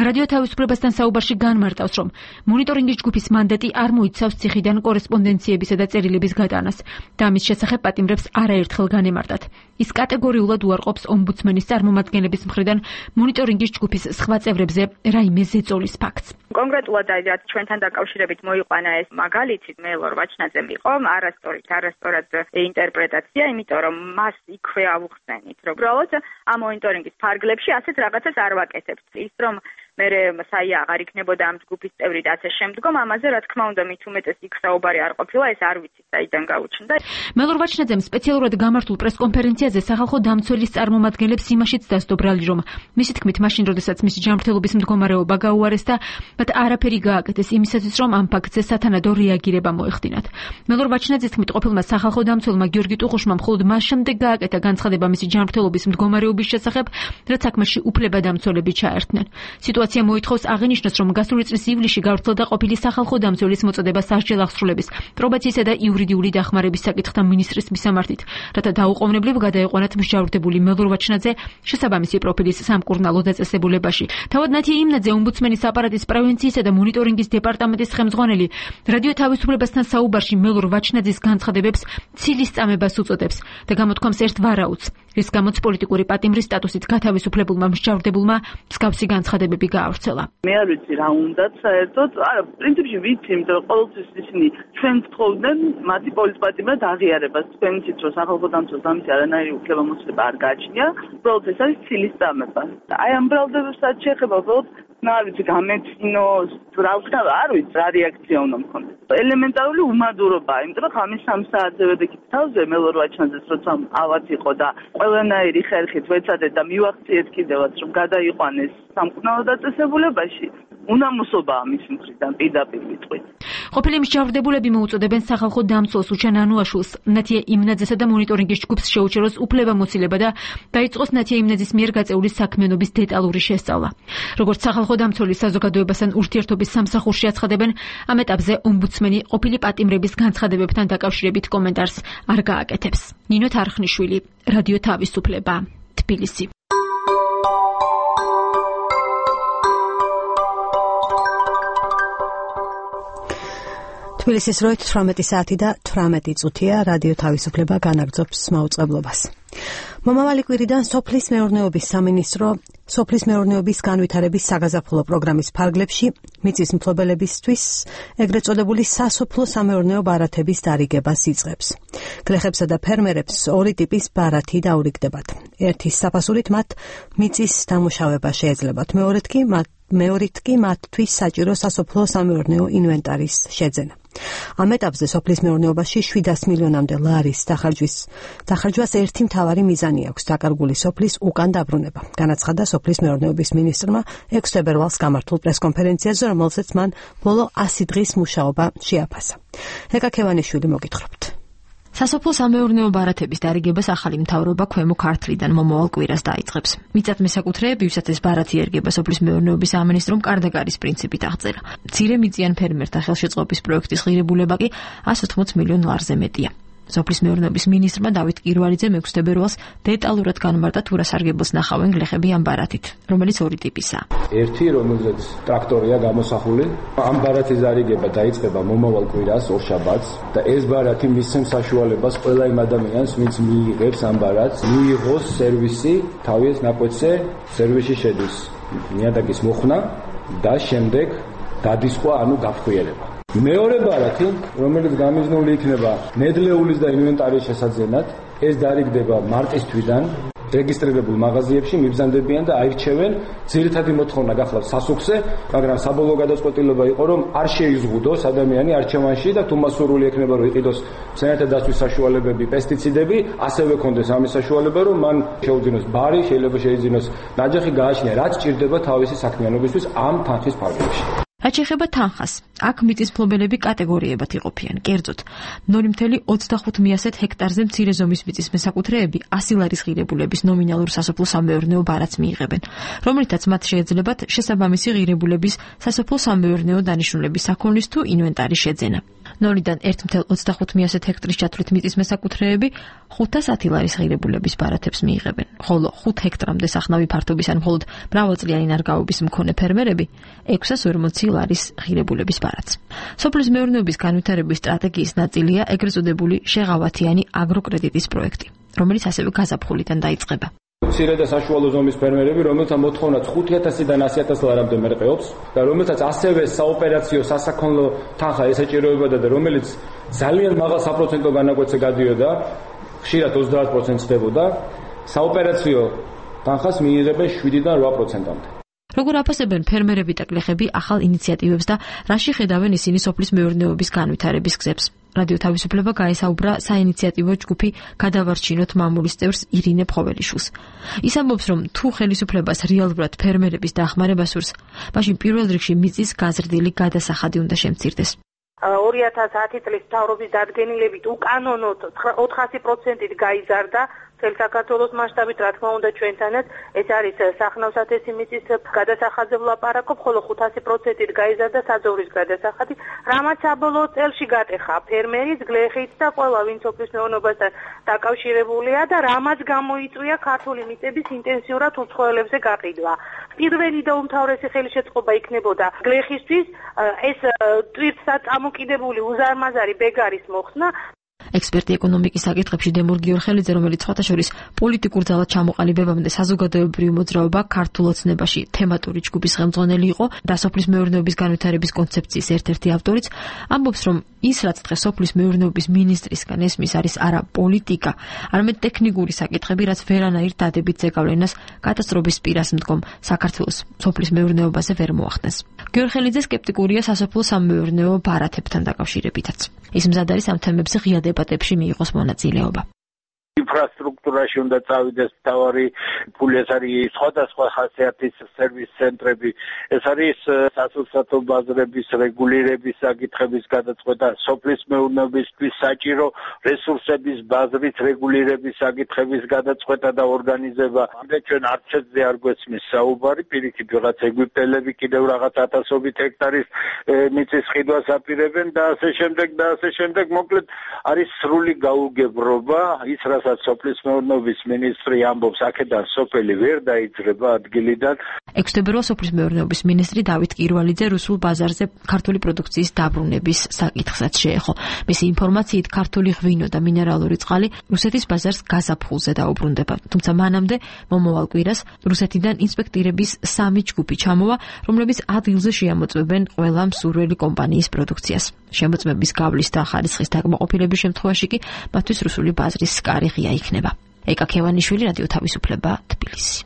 რადიო თავისუფლებასთან საუბარში განმარტავს, რომ მონიტორინგის ჯგუფის მანდატი არ მოიცავს ციხიდან კორესპონდენციებისა და წერილების გატანას და ამის შესახებ პატიმრებს არაერთხელ განემარტათ. ის კატეგორიულად უარყოფს ომბუდსმენის წარმომადგენლების მხრიდან მონიტორინგის ჯგუფის სხვა წევრებზე რაიმე ზეწოლის ფაქტს. კონკრეტულად რაც ჩვენთან დაკავშირებით მოიყვანა ეს მაგალითი მელორ ვაჩნაძემ იყო არასწორად ინტერპრეტაცია, იმიტომ რომ მას იქვე ავუხსენით, რომ უბრალოდ ამ მონიტორინგის ფარგლებში ასეთ რაღაცას არ ვაკეთებთ. ის რომ მე საია აღარ იქნებოდა ამ ჯგუფის წევრი და ასე შემდგომ, ამაზე რა თქმა უნდა მით უმეტეს იქ საუბარი არ ყოფილა, ეს არ ვიცი საიდან გაუჩნდა. მელორ ვაჩნაძემ სპეციალურად გამართულ პრესკონფერენციაზე სახალხო დამცველის წარმომადგენლებს იმაშიც დასდო ბრალი, რომ მისი თქმით მაშინ როდესაც მისი ჯანმრთელობის მდგომარეობა გაუარესდა, მათ არაფერი გააკეთეს იმისათვის, რომ ამ ფაქტზე სათანადო რეაგირება მოეხდინათ. მელორ ვაჩნაძის თქმით ყოფილმა სახალხო დამცველმა გიორგი ტუხუშმა მხოლოდ მას შემდეგ გააკეთა განცხადება მისი ჯანმრთელობის მდგომარეობის შესახებ, რაც საქმეში უფლებადამცველები ჩაერთნენ. სიტუაცია მოითხოვს აღინიშნოს, რომ გასული წლის ივლისში გავრცელდა ყოფილი სახალხო დამცველის მოწოდება სასჯელ აღსრულების, პრობაციისა და იურიდიული დახმარების საკითხთა მინისტრის მისამართით, რათა დაუყოვნებლივ გადაეყვანათ მსჯავრდებული მელორ ვაჩნაძე შესაბამისი პროფილის სამკურნალო დაწესებულებაში. თავად ნათია იმნაძე ომბუდსმენის აპარატის პრევენციისა და მონიტორინგის დეპარტამენტის ხელმძღვანელი რადიო თავისუფლებასთან საუბარში მელორ ვაჩნაძის განცხადებებს ცილის წამებას უწოდებს და გამოთქვამს ერთ ვარაუდს, რის გამოც პოლიტიკური პატიმრის სტატუსით გათავისუფლებულმა მსჯავრდებულმა მსგავსი განცხადებები გაავრცელა. მე არ ვიცი რა უნდათ საერთოდ, არა, პრინციპში ვიცი, იმიტომ რომ ყოველთვის ისინი ჩვენ თხოვდნენ მათი პოლიტპატიმრად აღიარებას. თქვენ იცით, რომ სახალხო დამცველს ამის არანაირი უფლებამოსილება არ გააჩნია, უბრალოდ ეს არის ცილის წამება. აი ამ ბრალდებებსაც შეეხება უბრალოდ არ ვიცი, გამეცინო, რა ვქნა, არ ვიცი, რა რეაქცია უნდა მქონდეს. ელემენტარული უმადურობა, იმიტომ რომ ხამის 3 საათზე ვედექით თავზე მელორ ვაჩნაძეს როცა ავად იყო და ყველანაირი ხერხით ვეცადეთ და მივახციეთ კიდევაც, რომ გადაიყვანეს სამკურნალო დაწესებულებაში. უნამოსობაა მის მხრიდან პირდაპირ ვიტყვით. ყოფილი მსჯავრდებულები მოუწოდებენ სახალხო დამცველს უჩან ანუაშვილს ნათია იმნაძესა და მონიტორინგის ჯგუფს შეუჩეროს უფლებამოსილება და დაიწყოს ნათია იმნაძის მიერ გაწეული საქმიანობის დეტალური შესწავლა. როგორც სახალხო დამცველი საზოგადოებასთან ურთიერთობის სამსახურში აცხადებენ, ამ ეტაპზე ომბუდსმენი ყოფილი პატიმრების განცხადებებთან დაკავშირებით კომენტარს არ გააკეთებს. ნინო თარხნიშვილი, რადიო თავისუფლება, თბილისი. თბილისის როით 18 საათი და 18 წუთია, რადიო თავისუფლება განაგრძობს მაუწყებლობას. მომავალი კვირიდან სოფლის მეურნეობის სამინისტრო სოფლის მეურნეობის განვითარების საგაზაფხულო პროგრამის ფარგლებში მიწის მფლობელებისთვის ეგრეთ წოდებული სასოფლო სამეურნეო ბარათების დარიგებას იწყებს. გლეხებსა და ფერმერებს ორი ტიპის ბარათი დაურიგდებათ. ერთის საფასურით მათ მიწის დამუშავება შეეძლებათ, მეორით კი მათთვის საჭირო სასოფლო სამეურნეო ინვენტარის შეძენა. ამ ეტაპზე სოფლის მეურნეობაში 700 მილიონამდე ლარის დახარჯვას ერთი მთავარი მიზანი აქვს დაკარგული სოფლის უკან დაბრუნება. განაცხადა სოფლის მეურნეობის მინისტრმა 6 თებერვალს გამართულ პრესკონფერენციაზე, რომელზეც მან ბოლო 100 დღის მუშაობა შეაფასა. ეკა ქევანიშვილი მოგითხრობთ. სასოფლო-სამეურნეო ბარათების დარიგებას ახალი მთავრობა ქვემო ქართლიდან მომავალ კვირას დაიწყებს. მიწათ მესაკუთრეები, ვისაც ეს ბარათი ერგება სოფლის მეურნეობის სამინისტრომ კარდაგარის პრინციპით აღწერა. მცირე მიწიან ფერმერთა ხელშეწყობის პროექტის ღირებულება კი 180 მილიონ ლარზე მეტია. სოფლის მეურნეობის მინისტრმა დავით კირვალიძემ 6 თებერვალს დეტალურად განმარტა თუ რა სარგებელს ნახავენ გლეხები ამ ბარათით, რომელიც ორი ტიპისაა. ერთი, რომელზეც ტრაქტორია გამოსახული, ამ ბარათის დარიგება დაიწყება მომავალ კვირას ორშაბათს და ეს ბარათი მისცემს საშუალებას ყველა იმ ადამიანს, ვინც მიიღებს ამ ბარათს, მიიღოს სერვისი, თავის ნაკვეთზე სერვისში შედის ნიადაგის მოხსნა და შემდეგ დადისხვა, ანუ გაფრთხილება. მეორე ბარათი, რომელიც გამიზნული იქნება ნედლეულის და ინვენტარის შესაძენად, ეს დარიგდება მარტის თვიდან რეგისტრირებულ მაღაზიებში მიბრძანდებიან და აირჩევენ. ძირითადი მოთხოვნა გახლავთ სასუქზე, მაგრამ საბოლოო გადაწყვეტილება იყო, რომ არ შეიზღუდოს ადამიანი არჩევანში და თუ მას სურვილი ექნება, რომ იყიდოს მცენარეთა დაცვის საშუალებები, პესტიციდები, ასევე კონდეს ამის საშუალება, რომ მან შეუძინოს ბარი, შეიძლება შეიძინოს ნაჯახი, გააჩნია რაც ჭირდება თავისი საქმიანობისთვის ამ თანხის ფარგლებში. რაც შეეხება თანხას, აქ მიწის მფლობელები კატეგორიებად იყოფიან. კერძოდ, 0.25 ჰექტარზე მცირე ზომის მიწის მესაკუთრეები 100 ლარის ღირებულების ნომინალურ სასოფლო-სამეურნეო ბარათს მიიღებენ, რომლითაც მათ შეეძლებათ შესაბამისი ღირებულების სასოფლო-სამეურნეო დანიშნულების საქონლის თუ ინვენტარის შეძენა. 0-დან 1.25 ჰექტრის ჩათვლით მიწის მესაკუთრეები 510 ლარის ღირებულების ბარათებს მიიღებენ, ხოლო 5 ჰექტრამდე სახნავი ფართობის ან მხოლოდ მრავალწლიანი ნარგავობის მქონე ფერმერები 640 ლარის ღირებულების ბარათს. სოფლის მეურნეობის განვითარების სტრატეგიის ნაწილია ეგრეთ წოდებული შეღავათიანი აგროკრედიტის პროექტი, რომელიც ასევე გაზაფხულიდან დაიწყება. მცირე და საშუალო ზომის ფერმერები, რომელთა მოთხოვნაც 5,000-დან 100,000 ლარამდე მერყეობს და რომელთაც ასევე საოპერაციო სასაქონლო თანხა ესაჭიროებოდა და რომელიც ძალიან მაღალ საპროცენტო განაკვეთზე გადიოდა, ხშირად 30% ხდებოდა, საოპერაციო თანხას მიიღებენ 7-დან 8%-მდე. როგორ აფასებენ ფერმერები და გლეხები ახალ ინიციატივებს და რაში ხედავენ ისინი სოფლის მეურნეობის განვითარების გზებს? რადიო თავისუფლება გაესაუბრა საინიციატივო ჯგუფი გადავარჩინოთ მამულის წევრს ირინე ფხოველიშვილს. ის ამბობს, რომ თუ ხელისუფლებას რეალურად ფერმერების დახმარება სურს, მაშინ პირველ რიგში მიწის გაზრდილი გადასახადი უნდა შემცირდეს. 2010 წლის მთავრობის დადგენილებით უკანონოდ 400%-ით გაიზარდა მთელ საქართველოს მასშტაბით, რა თქმა უნდა ჩვენთანაც ეს არის სახნავ-სათესი მიწის გადასახადზე ვლაპარაკობ, ხოლო 500%-ით გაიზარდა საძოვრის გადასახადი, რამაც საბოლოო წელში გატეხა ფერმერიც, გლეხიც და ყველა ვინც სოფლის მეურნეობასთან დაკავშირებულია და რამაც გამოიწვია ქართული მიწების ინტენსიურად უცხოელებზე გაყიდვა. პირველი და უმთავრესი ხელშეწყობა იქნებოდა გლეხისთვის ეს ტვირთსა წამოკიდებული უზარმაზარი ბეგარის მოხსნა. ექსპერტი ეკონომიკის საკითხებში დემურ გიორხელიძე, რომელიც სხვათა შორის პოლიტიკურ ძალად ჩამოყალიბებამდე საზოგადოებრივ მოძრაობა ქართულ ოცნებაში თემატური ჯგუფის ხელმძღვანელი იყო და სოფლის მეურნეობის განვითარების კონცეფციის ერთ-ერთი ავტორიც, ამბობს, რომ ის რაც დღეს სოფლის მეურნეობის მინისტრისგან ესმის არის არა პოლიტიკა, არამედ ტექნიკური საკითხები, რაც ვერანაირ დადებით ზეგავლენას კატასტროფის პირას მდგომ საქართველოს სოფლის მეურნეობაზე ვერ მოახდენს. გიორხელიძე სკეპტიკურია სასოფლო-სამეურნეო ბარათებთან დაკავშირებითაც. ის მზად არის ამ თემებზე ღია დებატებში მიიღოს მონაწილეობა. ინფრასტრუქტურაში უნდა წავიდეს მთავარი ფული, ეს არის სხვადასხვა ხასიათის სერვის ცენტრები, ეს არის სასურსათო ბაზრების რეგულირების საკითხების გადაწყვეტა, სოფლის მეურნეობისთვის საჭირო რესურსების ბაზრის რეგულირების საკითხების გადაწყვეტა და ორგანიზება. ამდენ ჩვენ არჩეთზე არ გვესმის საუბარი, პირიქით ვიღაც ეგვიპტელები კიდევ რაღაც ათასობით ჰექტარის მიწის ყიდვას აპირებენ და ასე შემდეგ, მოკლედ არის სრული გაუგებრობა, ის რასაც სოფლის მეურნეობის მინისტრი ამბობს, აქედან სოფელი ვერ დაიძრება ადგილიდან. 6 თებერვალს სოფლის მეურნეობის მინისტრი დავით კირვალიძე რუსულ ბაზარზე ქართული პროდუქციის დაბრუნების საკითხსაც შეეხო. მისი ინფორმაციით ქართული ღვინო და მინერალური წყალი რუსეთის ბაზარს გაზაფხულზე დაუბრუნდება. თუმცა მანამდე მომავალ კვირას რუსეთიდან ინსპექტირების 3 ჯგუფი ჩამოვა, რომლებიც ადგილზე შეამოწმებენ ყველა მსურველი კომპანიის პროდუქციას. შემოწმების გავლის და ხარისხის დაკმაყოფილების შემთხვევაში კი მათთვის რუსული ბაზრის კარი ღია იქნება. ეკა ქევანიშვილი, რადიო თავისუფლება, თბილისი.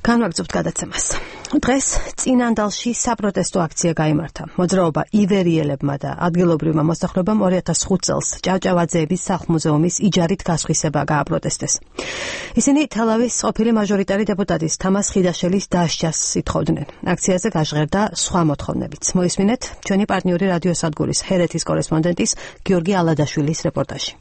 განვაგრძობთ გადაცემას. დღეს წინანდალში საპროტესტო აქცია გაიმართა. მოძრაობა ივერიელებმა და ადგილობრივმა მოსახლეობამ 2005 წელს ჭავჭავაძეების სახლ-მუზეუმის იჯარით გასხვისება გააპროტესტეს. ისინი თელავის ყოფილი მაჟორიტარი დეპუტატის თამას ხიდაშელის დასჯას ითხოვდნენ. აქციაზე გაჟღერდა სხვა მოთხოვნებიც. მოისმინეთ ჩვენი პარტნიორი რადიო სადგურის ჰერეთის კორესპონდენტის გიორგი ალადაშვილის რეპორტაჟი.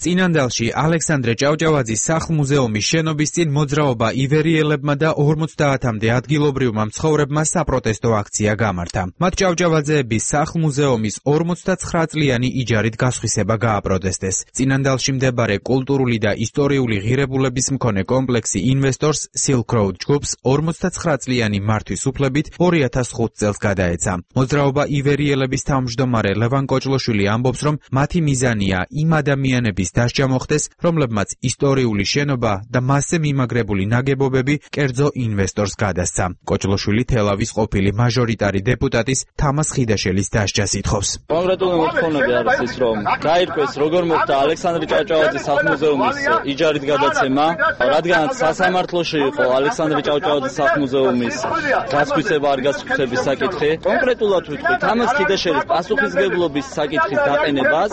წინანდალში ალექსანდრე ჭავჭავაძის სახლ-მუზეუმის შენობის წინ მოძრაობა ივერიელებმა და 50-მდე ადგილობრივმა მცხოვრებმა საპროტესტო აქცია გამართა. მათ ჭავჭავაძეების სახლ-მუზეუმის 59 წლიანი იჯარით გასხვისება გააპროტესტეს. წინანდალში მდებარე კულტურული და ისტორიული ღირებულების მქონე კომპლექსი ინვესტორს Silk Road ჯგუფს 59 წლიანი მართვის უფლებით 2005 წელს გადაეცა. მოძრაობა ივერიელების თავმჯდომარე ლევან კოჭლოშვილი ამბობს, რომ მათი მიზანია იმ ადამიანების დასჯა მოხდეს, რომლებმაც ისტორიული შენობა და მასზე მიმაგრებული ნაგებობები კერძო ინვესტორს გადასცა. კოჭლოშვილი თელავის ყოფილი მაჟორიტარი დეპუტატის თამას ხიდაშელის დასჯას ითხოვს. კონკრეტული მოთხოვნები არის ის, რომ გაირკვეს როგორ მოხდა ალექსანდრე ჭავჭავაძის სახლ-მუზეუმის იჯარით გადაცემა, რადგანაც სასამართლოში იყო ალექსანდრე ჭავჭავაძის სახლ-მუზეუმის გასხვისება არ გასხვისების საკითხი. კონკრეტულად ვიტყვი თამას ხიდაშელის პასუხისმგებლობის საკითხის დაყენებას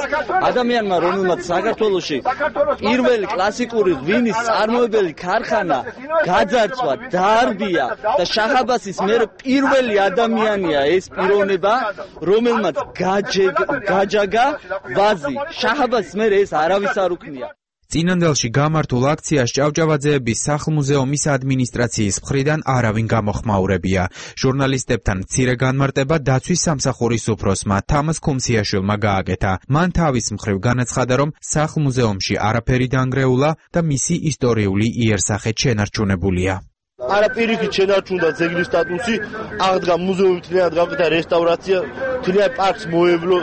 ადამიანმა, რომელმაც საქართველოში პირველი კლასიკური ღვინის წარმოებელი ქარხანა გაძარცვა, დაარბია და შაჰ-აბასის მერე პირველი ადამიანია ეს პიროვნება, რომელმაც გაჯაგა ვაზი. შაჰ-აბასის მერე ეს არავის არ უქნია. წინანდალში გამართულ აქციას ჭავჭავაძეების სახლ-მუზეუმის ადმინისტრაციის მხრიდან არავინ გამოხმაურებია. ჟურნალისტებთან მცირე განმარტება დაცვის სამსახურის უფროსმა თამას ქუმციაშვილმა გააკეთა. მან თავის მხრივ განაცხადა, რომ სახლ-მუზეუმში არაფერი დანგრეულა და მისი ისტორიული იერსახე შენარჩუნებულია. არაპირიქით შენარჩუნდა ძეგლის სტატუსი, აღდგა მუზეუმი, თლიანად გავყიდა რესტავრაცია, თლიანად პარკს მოევლო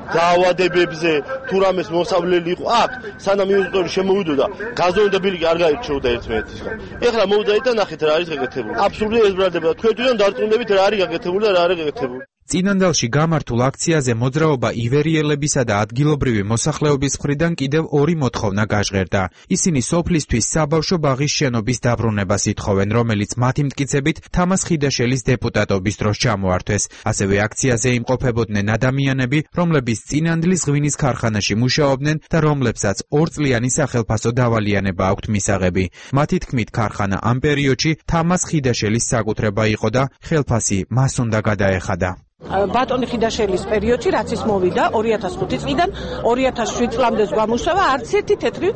დაავადებებზე, თუ რამეს მოსავლელი იყო აქ, სანამ ინვესტორი შემოვიდოდა, გაზონი და ბილიკი არ გაირჩეოდა ერთმანეთისგან. ეხლა მოვიდეთ და ნახეთ რა არის გაკეთებული. აბსურდია ესბრალდება. თქვენ თვითონ დარწმუნდებით რა არის გაკეთებული და რა არის გაკეთებული. წინანდალში გამართულ აქციაზე მოძრაობა ივერიელებისა და ადგილობრივი მოსახლეობის მხრიდან კიდევ ორი მოთხოვნა გაჟღერდა. ისინი სოფლისთვის საბავშვო ბაღის შენობის დაბრუნებას ითხოვენ, რომელიც მათი მტკიცებით თამას ხიდაშელის დეპუტატობის დროს ჩამოართვეს. ასევე აქციაზე იმყოფებოდნენ ადამიანები, რომლებიც წინანდლის ღვინის ქარხანაში მუშაობდნენ და რომლებსაც 2 წლიანი სახელფასო დავალიანება აქვთ მისაღები. მათი თქმით, ქარხანა ამ პერიოდში თამას ხიდაშელის საკუთრება იყო და ხელფასი მას უნდა გადაეხადა. ბატონი ხიდაშელის პერიოდში რაც ის მოვიდა 2005 წლიდან 2007 წლამდე გამუშავა, არც ერთი თეთრი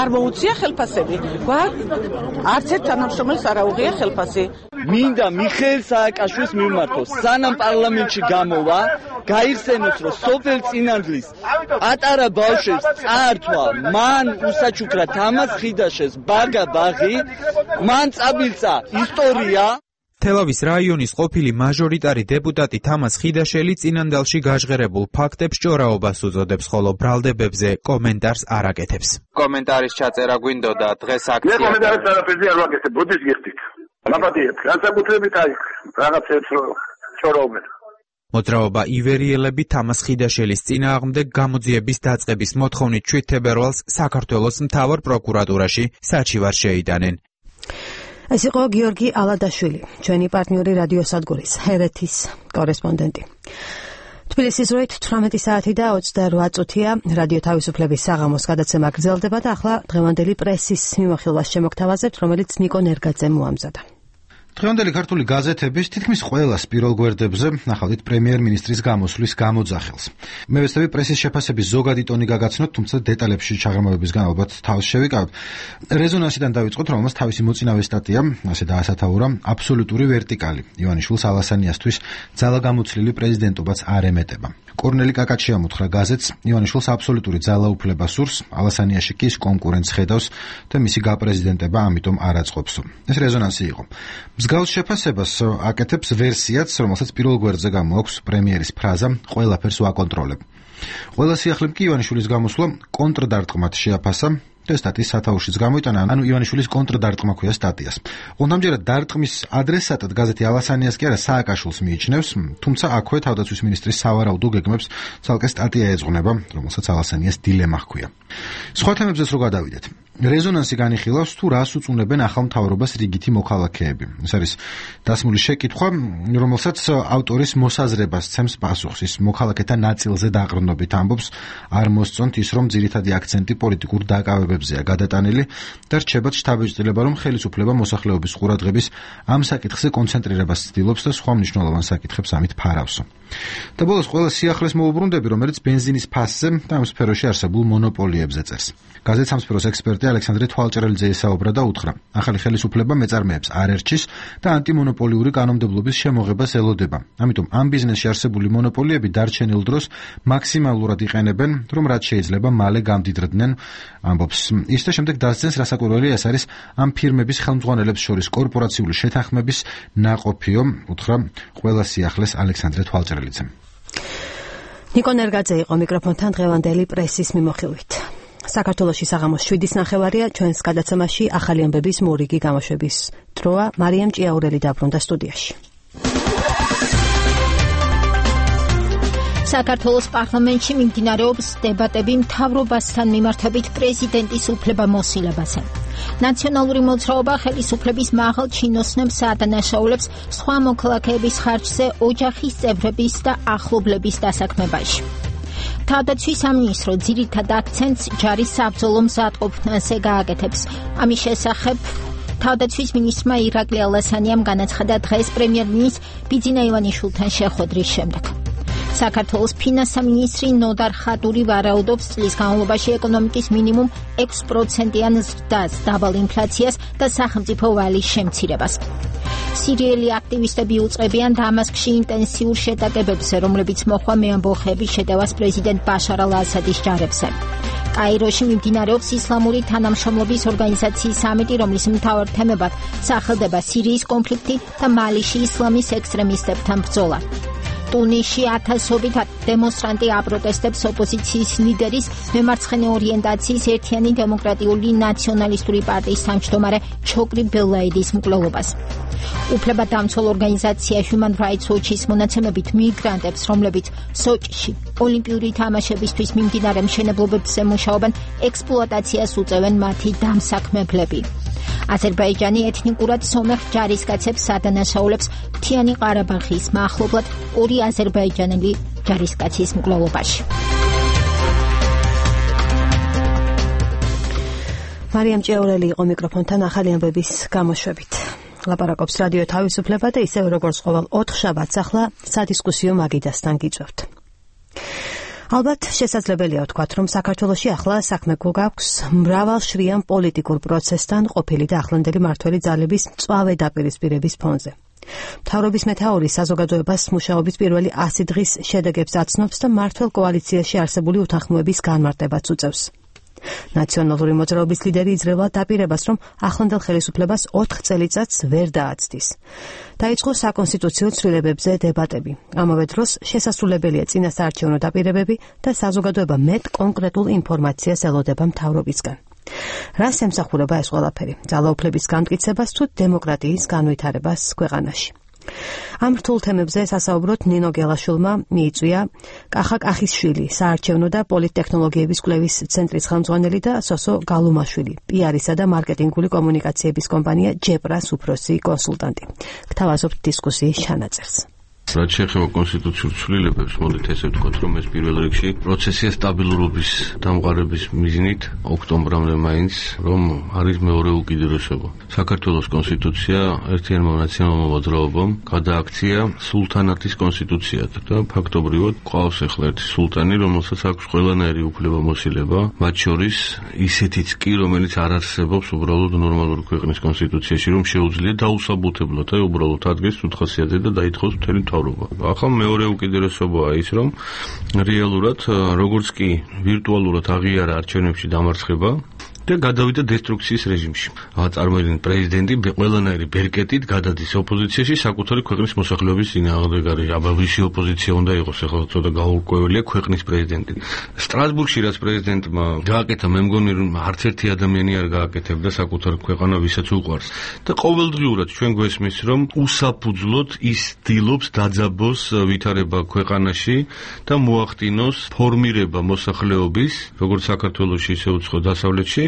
არ მოუწია ხელფასები. არც ერთ თანამშრომელს არ აუღია ხელფასი. მინდა მიხეილ სააკაშვილს მიმართოს, სანამ პარლამენტში გამოვა, გაიხსენოს, რომ სოფელ წინანდლის პატარა ბავშვებს წაართვა, მან უსაჩუქრა თამას ხიდაშეს ბაგა ბაღი, მან წაბილწა ისტორია. თელავის რაიონის ყოფილი მაჟორიტარი დეპუტატი თამას ხიდაშელი წინანდალში გაჟღერებულ ფაქტებს ჭორაობას უწოდებს, ხოლო ბრალდებებზე კომენტარს არ აკეთებს. კომენტარის ჩაწერა გვინდოდა დღეს აქცია. მე კომენტარს არაფერზე არ ვაკეთებ, ბუდის გიხდით. ლაპატიეთ, განსაკუთრებით აი რაღაცებს ჭორაობენ. მოძრაობა ივერიელები თამას ხიდაშელის წინააღმდეგ გამოძიების დაწყების მოთხოვნით 7 თებერვალს საქართველოს მთავარ პროკურატურაში საჩივარ შეიტანენ. ეს იყო გიორგი ალადაშვილი, ჩვენი პარტნიორი რადიო სადგურის ჰერეთის კორესპონდენტი. თბილისის დროით 18 საათი და 28 წუთია რადიო თავისუფლების საღამოს გადაცემა გრძელდება და ახლა დღევანდელი პრესის მიმოხილვას შემოგთავაზებთ, რომელიც ნიკო ნერგაძემ მოამზადა. დღევანდელი ქართული გაზეთების თითქმის ყველა სპირალ გვერდებზე ნახავთ პრემიერ-მინისტრის გამოსვლის გამოძახილს. მე ვეცდები პრესის შეფასების ზოგადი ტონი გაგაცნოთ, თუმცა დეტალებში ჩაღრმავებისგან ალბათ თავს შევიკავოთ. რეზონანსიდან დავიწყოთ, რომელმაც თავისი მოწინავე სტატია ასე დაასათაურა აბსოლუტური ვერტიკალი. ივანიშვილს ალასანიასთვის ძალაგამოცლილი პრეზიდენტობაც არ ემეტება. კორნელი კაკაჩი ამოთხრა გაზეთს, ივანიშვილს აბსოლუტური ძალაუფლება სურს, ალასანიაში კი კონკურენტს ხედავს და მისი გაპრეზიდენტება ამიტომ არ აწყობსო. ეს რეზონანსი იყო. მსგავს შეფასებას აკეთებს ვერსიაც, რომელსაც პირველ გვერდზე გამოაქვს პრემიერის ფრაზა ყველაფერს ვაკონტროლებ. ყველა სიახლემ კი ივანიშვილის გამოსვლა კონტრდარტყმად შეაფასა და სტატიის სათაურშიც გამოიტანა, ანუ ივანიშვილის კონტრდარტყმა ქვია სტატიას. ონდამჯერად დარტყმის ადრესატად გაზეთი ალასანიას კი არა სააკაშვილს მიიჩნევს, თუმცა აქვე თავდაცვის მინისტრის სავარაუდო გეგმებს ცალკე სტატია ეძღვნება, რომელსაც ალასანიას დილემა ჰქვია. სხვა თემებზეც რო გადავიდეთ. რეზონანსი განიხილავს თუ რას უწუნებენ ახალ მთავრობას რიგითი მოქალაქეები. ეს არის დასმული შეკითხვა, რომელსაც ავტორის მოსაზრებას ცემს პასუხს. ის მოქალაქეთა ნაწილზე დაყრდნობით ამბობს, არ მოსწონთ ის, რომ ძირითადი აქცენტი პოლიტიკურ დაკავებებზეა გადატანილი და რჩებათ შთაბეჭდილება, რომ ხელისუფლება მოსახლეობის ყურადღების ამ საკითხზე კონცენტრირებას ცდილობს და სხვა მნიშვნელოვან საკითხებს ამით ფარავსო. და ბოლოს ყველა სიახლეს მოუბრუნდები, რომელიც ბენზინის ფასზე და ამ სფეროში არსებულ მონოპოლიებზე წერს. გაზეთ სამსფეროს ექსპერტი ალექსანდრე თვალჭრელიძე ესაუბრა და უთხრა: ახალი ხელისუფლება მეწარმეებს არ ერჩის და ანტიმონოპოლიური კანონმდებლობის შემოღებას ელოდება. ამიტომ ამ ბიზნესში არსებული მონოპოლიები დარჩენილ დროს მაქსიმალურად იყენებენ, რომ რაც შეიძლება მალე გამდიდრდნენ, ამბობს. ის და შემდეგ დასძენს, რასაკვირველია ეს არის ამ ფირმების ხელმძღვანელებს შორის კორპორაციული შეთანხმების ნაყოფიო, უთხრა ყველა სიახლეს ალექსანდრე თვალჭრელიძემ. ნიკო ნერგაძე იყო მიკროფონთან დღევანდელი პრესის მიმოხილვით. საქართველოში საღამოს 7:09 ჩვენს გადაცემაში ახალი ამბების მორიგი გამოშვების დროა. მარიამ ჭიაურელი დაბრუნდა სტუდიაში. საქართველოს პარლამენტში მიმდინარეობს დებატები მთავრობასთან მიმართებით პრეზიდენტის უფლებამოსილებაზე. ნაციონალური მოძრაობა ხელისუფლების მაღალ ჩინოსნებს ადანაშაულებს სხვა მოქალაქეების ხარჯზე ოჯახის წევრების და ახლობლების დასაქმებაში. თავდაცვის სამინისტრო ძირითად აქცენტს ჯარის საბრძოლო მზადყოფნაზე გააკეთებს. ამის შესახებ თავდაცვის მინისტრმა ირაკლი ალასანიამ განაცხადა დღეს პრემიერ-მინისტრ ბიძინა ივანიშვილთან შეხვედრის შემდეგ. საქართველოს ფინანსთა მინისტრი ნოდარ ხატური ვარაუდობს წლის განმავლობაში ეკონომიკის მინიმუმ 6%-იან ზრდას, დაბალ ინფლაციას და სახელმწიფო ვალის შემცირებას. სირიელი აქტივისტები უწყებიან დამასკში ინტენსიურ შეტაკებებზე, რომლებიც მოჰყვა მეამბოხეების შეტევას პრეზიდენტ ბაშარ ალ-ასადის ჯარებზე. კაიროში მიმდინარეობს ისლამური თანამშრომლობის ორგანიზაციის სამიტი, რომლის მთავარ თემებად სახელდება სირიის კონფლიქტი და მალიში ისლამის ექსტრემისტებთან ბრძოლა. ტუნისში ათასობით დემონსტრანტი აპროტესტებს ოპოზიციის ლიდერის მემარცხენე ორიენტაციის ერთიანი დემოკრატიული ნაციონალისტური პარტიის თავმჯდომარე ჩოკრი ბელაიდის მკვლელობას. უფლებადამცველ ორგანიზაცია Human Rights Watch-ის მონაცემებით მიგრანტებს, რომლებიც სოჭში ოლიმპიური თამაშებისთვის მიმდინარე მშენებლობებზე მუშაობენ, ექსპლუატაციას უწევენ მათი დამსაქმებლები. აზერბაიჯანი ეთნიკურად სომეხ ჯარისკაცებს ადანაშაულებს მთიანი ყარაბაღის მახლობლად 2 აზერბაიჯანელი ჯარისკაცის მკვლელობაში. მარიამ ჭიაურელი იყო მიკროფონთან ახალი ამბების გამოშვებით. ლაპარაკობს რადიო თავისუფლება და ისევ როგორც ყოველ 4 შაბათს ახლა სადისკუსიო მაგიდასთან გიწევთ. ალბათ შესაძლებელია ვთქვათ, რომ საქართველოში ახლა საქმე გვაქვს მრავალშრიან პოლიტიკურ პროცესთან ყოფილი და ახლანდელი მმართველი ძალების მწვავე დაპირისპირების ფონზე. მთავრობის მეთაური საზოგადოებას მუშაობის პირველი 100 დღის შედეგებს აცნობს და მმართველ კოალიციაში არსებული უთანხმოების განმარტებაც უწევს. ნაციონალური მოძრაობის ლიდერი იძლევა დაპირებას, რომ ახლანდელ ხელისუფლებას 4 წელიწადს ვერ დააცდის. დაიწყო საკონსტიტუციო ცვლილებებზე დებატები. ამავე დროს შესასრულებელია წინასაარჩევნო დაპირებები და საზოგადოება მეტ კონკრეტულ ინფორმაციას ელოდება მთავრობისგან. რას ემსახურება ეს ყველაფერი? ძალაუფლების განმტკიცებას თუ დემოკრატიის განვითარებას ქვეყანაში? ამ რთულ თემებზე სასაუბროთ ნინო გელაშვილმა მიიწვია კახა კახისშვილი, საარჩევნო და პოლიტტექნოლოგიების კვლევის ცენტრის ხელმძღვანელი და სოსო გალუმაშვილი, პიარისა და მარკეტინგული კომუნიკაციების კომპანია ჯეპრას უფროსი კონსულტანტი. გთავაზობთ დისკუსიის ჩანაწერს. რაც შეეხება კონსტიტუციურ ცვლილებებს, მოდით ესე ვთქვათ, რომ ეს პირველ რიგში პროცესია სტაბილურობის დამყარების მიზნით ოქტომბრამდე მაინც, რომ არის მეორე უკიდურესობა. საქართველოს კონსტიტუცია ერთიანმა ნაციონალურმა მოძრაობამ გადააქცია სულთანატის კონსტიტუციად და ფაქტობრივად ყავს ახლა ერთი სულტანი, რომელსაც აქვს ყველანაირი უფლებამოსილება, მათ შორის ისეთიც კი, რომელიც არ არსებობს უბრალოდ ნორმალური ქვეყნის კონსტიტუციაში, რომ შეუძლია დაუსაბუთებლად და უბრალოდ ადგეს უთხასიათზე და დაითხოვს მთელი ახლა მეორე უკიდურესობაა ის, რომ რეალურად როგორც კი ვირტუალურად აღიარა არჩევნებში დამარცხება და გადავიდა დესტრუქციის რეჟიმში. წარმოიდგინეთ, პრეზიდენტი ყველანაირი ბერკეტით გადადის ოპოზიციაში საკუთარი ქვეყნის მოსახლეობის წინააღმდეგ არის. აბავიში ოპოზიცია უნდა იყოს, ახლა ცოტა გაურკვეველია ქვეყნის პრეზიდენტი. სტრასბურგში რაც პრეზიდენტმა გააკეთა, მე მგონი რომ არც ერთი ადამიანი არ გააკეთებდა საკუთარ ქვეყანა, ვისაც უყვარს. და ყოველდღიურად ჩვენ გვესმის, რომ უსაფუძვლოდ ის ცდილობს დაძაბოს ვითარება ქვეყანაში და მოახდინოს ფორმირება მოსახლეობის, როგორც საქართველოში, ისე უცხო დასავლეთში.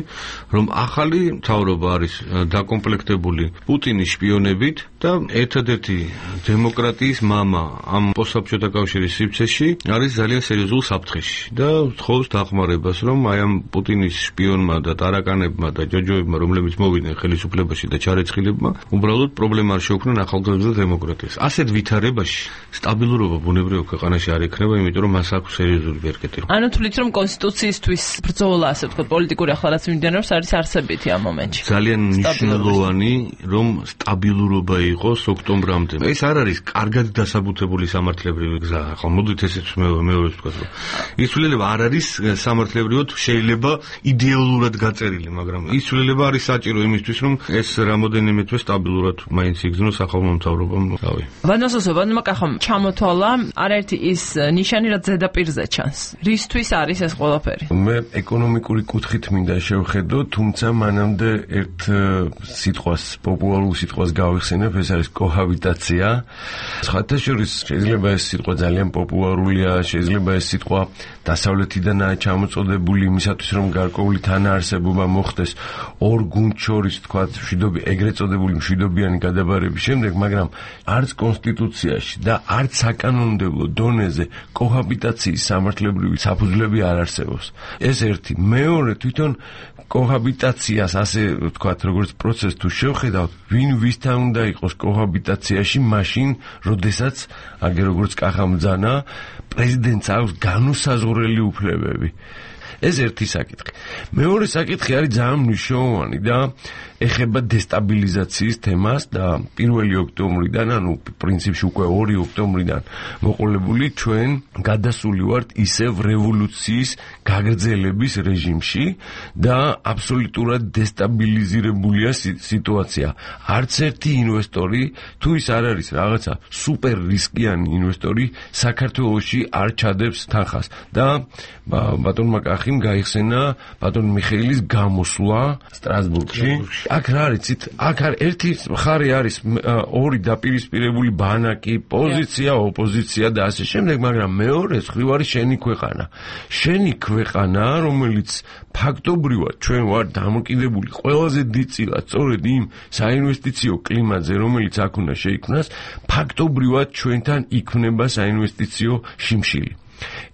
რომ ახალი მთავრობა არის დაკომპლექტებული პუტინის შპიონებით და ერთადერთი დემოკრატიის მამა ამ პოსტსაბჭოთა კავშირის სივრცეში არის ძალიან სერიოზულ საფრთხეში და თხოვს დახმარებას, რომ აი ამ პუტინის შპიონმა და ტარაკანებმა და ჯოჯოებმა, რომლებიც მოვიდნენ ხელისუფლებაში და ჩარეცხილებმა, უბრალოდ პრობლემა არ შეუქმნან ახალგაზრდა დემოკრატიას. ასეთ ვითარებაში სტაბილურობა ბუნებრივ ქვეყანაში არ ექნება, იმიტომ რომ მას აქვს სერიოზული ბერკეტი. ანუ თვლით, რომ კონსტიტუციისთვის ბრძოლა, ასე ვთქვათ, პოლიტიკური ახლა რაც მიმდინარეობს, არის არსებითი ამ მომენტში. ძალიან მნიშვნელოვანი, რომ სტაბილურობა იყოს ოქტომბრამდე. ეს არ არის კარგად დასაბუთებული სამართლებრივი გზა. ახლა მოდით ესეც მეორე ვთქვათ, რომ ის ცვლილება არ არის სამართლებრივად შეიძლება იდეოლურად გაწერილი, მაგრამ ის ცვლილება არის საჭირო იმისთვის, რომ ეს რამოდენიმე თვე სტაბილურად მაინც იგრძნოს ახალმა მთავრობამ. ვადმოსოსებმა კახომ ჩამოთვალა არაერთი ის ნიშანი, რაც ზედაპირზე ჩანს. რისთვის არის ეს ყველაფერი? მე ეკონომიკური კუთხით მინდა შევხედო, თუმცა მანამდე ერთ სიტყვას, პოპულარულ სიტყვას გავიხსენებ, ეს არის კოჰაბიტაცია. სხვათა შორის შეიძლება ეს სიტყვა ძალიან პოპულარულია, შეიძლება ეს სიტყვა დასავლეთიდანაა ჩამოწოდებული იმისათვის, რომ გარკვეული თანაარსებობა მოხდეს ორ გუნდს შორის, თქვათ, ეგრეთ წოდებული მშვიდობიანი გადაბარების შემდეგ, მაგრამ არც კონსტიტუციაში და არც საკანონმდებლო დონეზე კოჰაბიტაციის სამართლებრივი საფუძვლები არ არსებობს. ეს ერთი. მეორე, თვითონ კოჰაბიტაციას, ასე ვთქვათ, როგორც პროცესს თუ შევხედავთ, ვინ ვისთან უნდა იყოს კოჰაბიტაციაში მაშინ, როდესაც, აგერ როგორც კახამ ბრძანა, პრეზიდენტს აქვს განუსაზღვრელი უფლებები. ეს ერთი საკითხი. მეორე საკითხი არის ძალიან მნიშვნელოვანი და ეხება დესტაბილიზაციის თემას და 1 ოქტომბრიდან, ანუ პრინციპში უკვე 2 ოქტომბრიდან მოყოლებული ჩვენ გადასული ვართ ისევ რევოლუციის გაგრძელების რეჟიმში და აბსოლუტურად დესტაბილიზირებულია სიტუაცია. არც ერთი ინვესტორი, თუ ის არ არის რაღაცა სუპერ რისკიანი ინვესტორი, საქართველოში არ ჩადებს თანხას და ბატონმა კახიმ გაიხსენა ბატონ მიხეილის გამოსვლა სტრასბურგში. აქ რა არის, აქ ერთი მხარე არის ორი დაპირისპირებული ბანაკი, პოზიცია, ოპოზიცია და ასე შემდეგ, მაგრამ მეორე მხრივ არის შენი ქვეყანა. შენი ქვეყანა, რომელიც ფაქტობრივად ჩვენ ვარ დამოკიდებული ყველაზე დიდწილად სწორედ იმ საინვესტიციო კლიმატზე, რომელიც აქ უნდა შეიქმნას, ფაქტობრივად ჩვენთან იქმნება საინვესტიციო შიმშილი.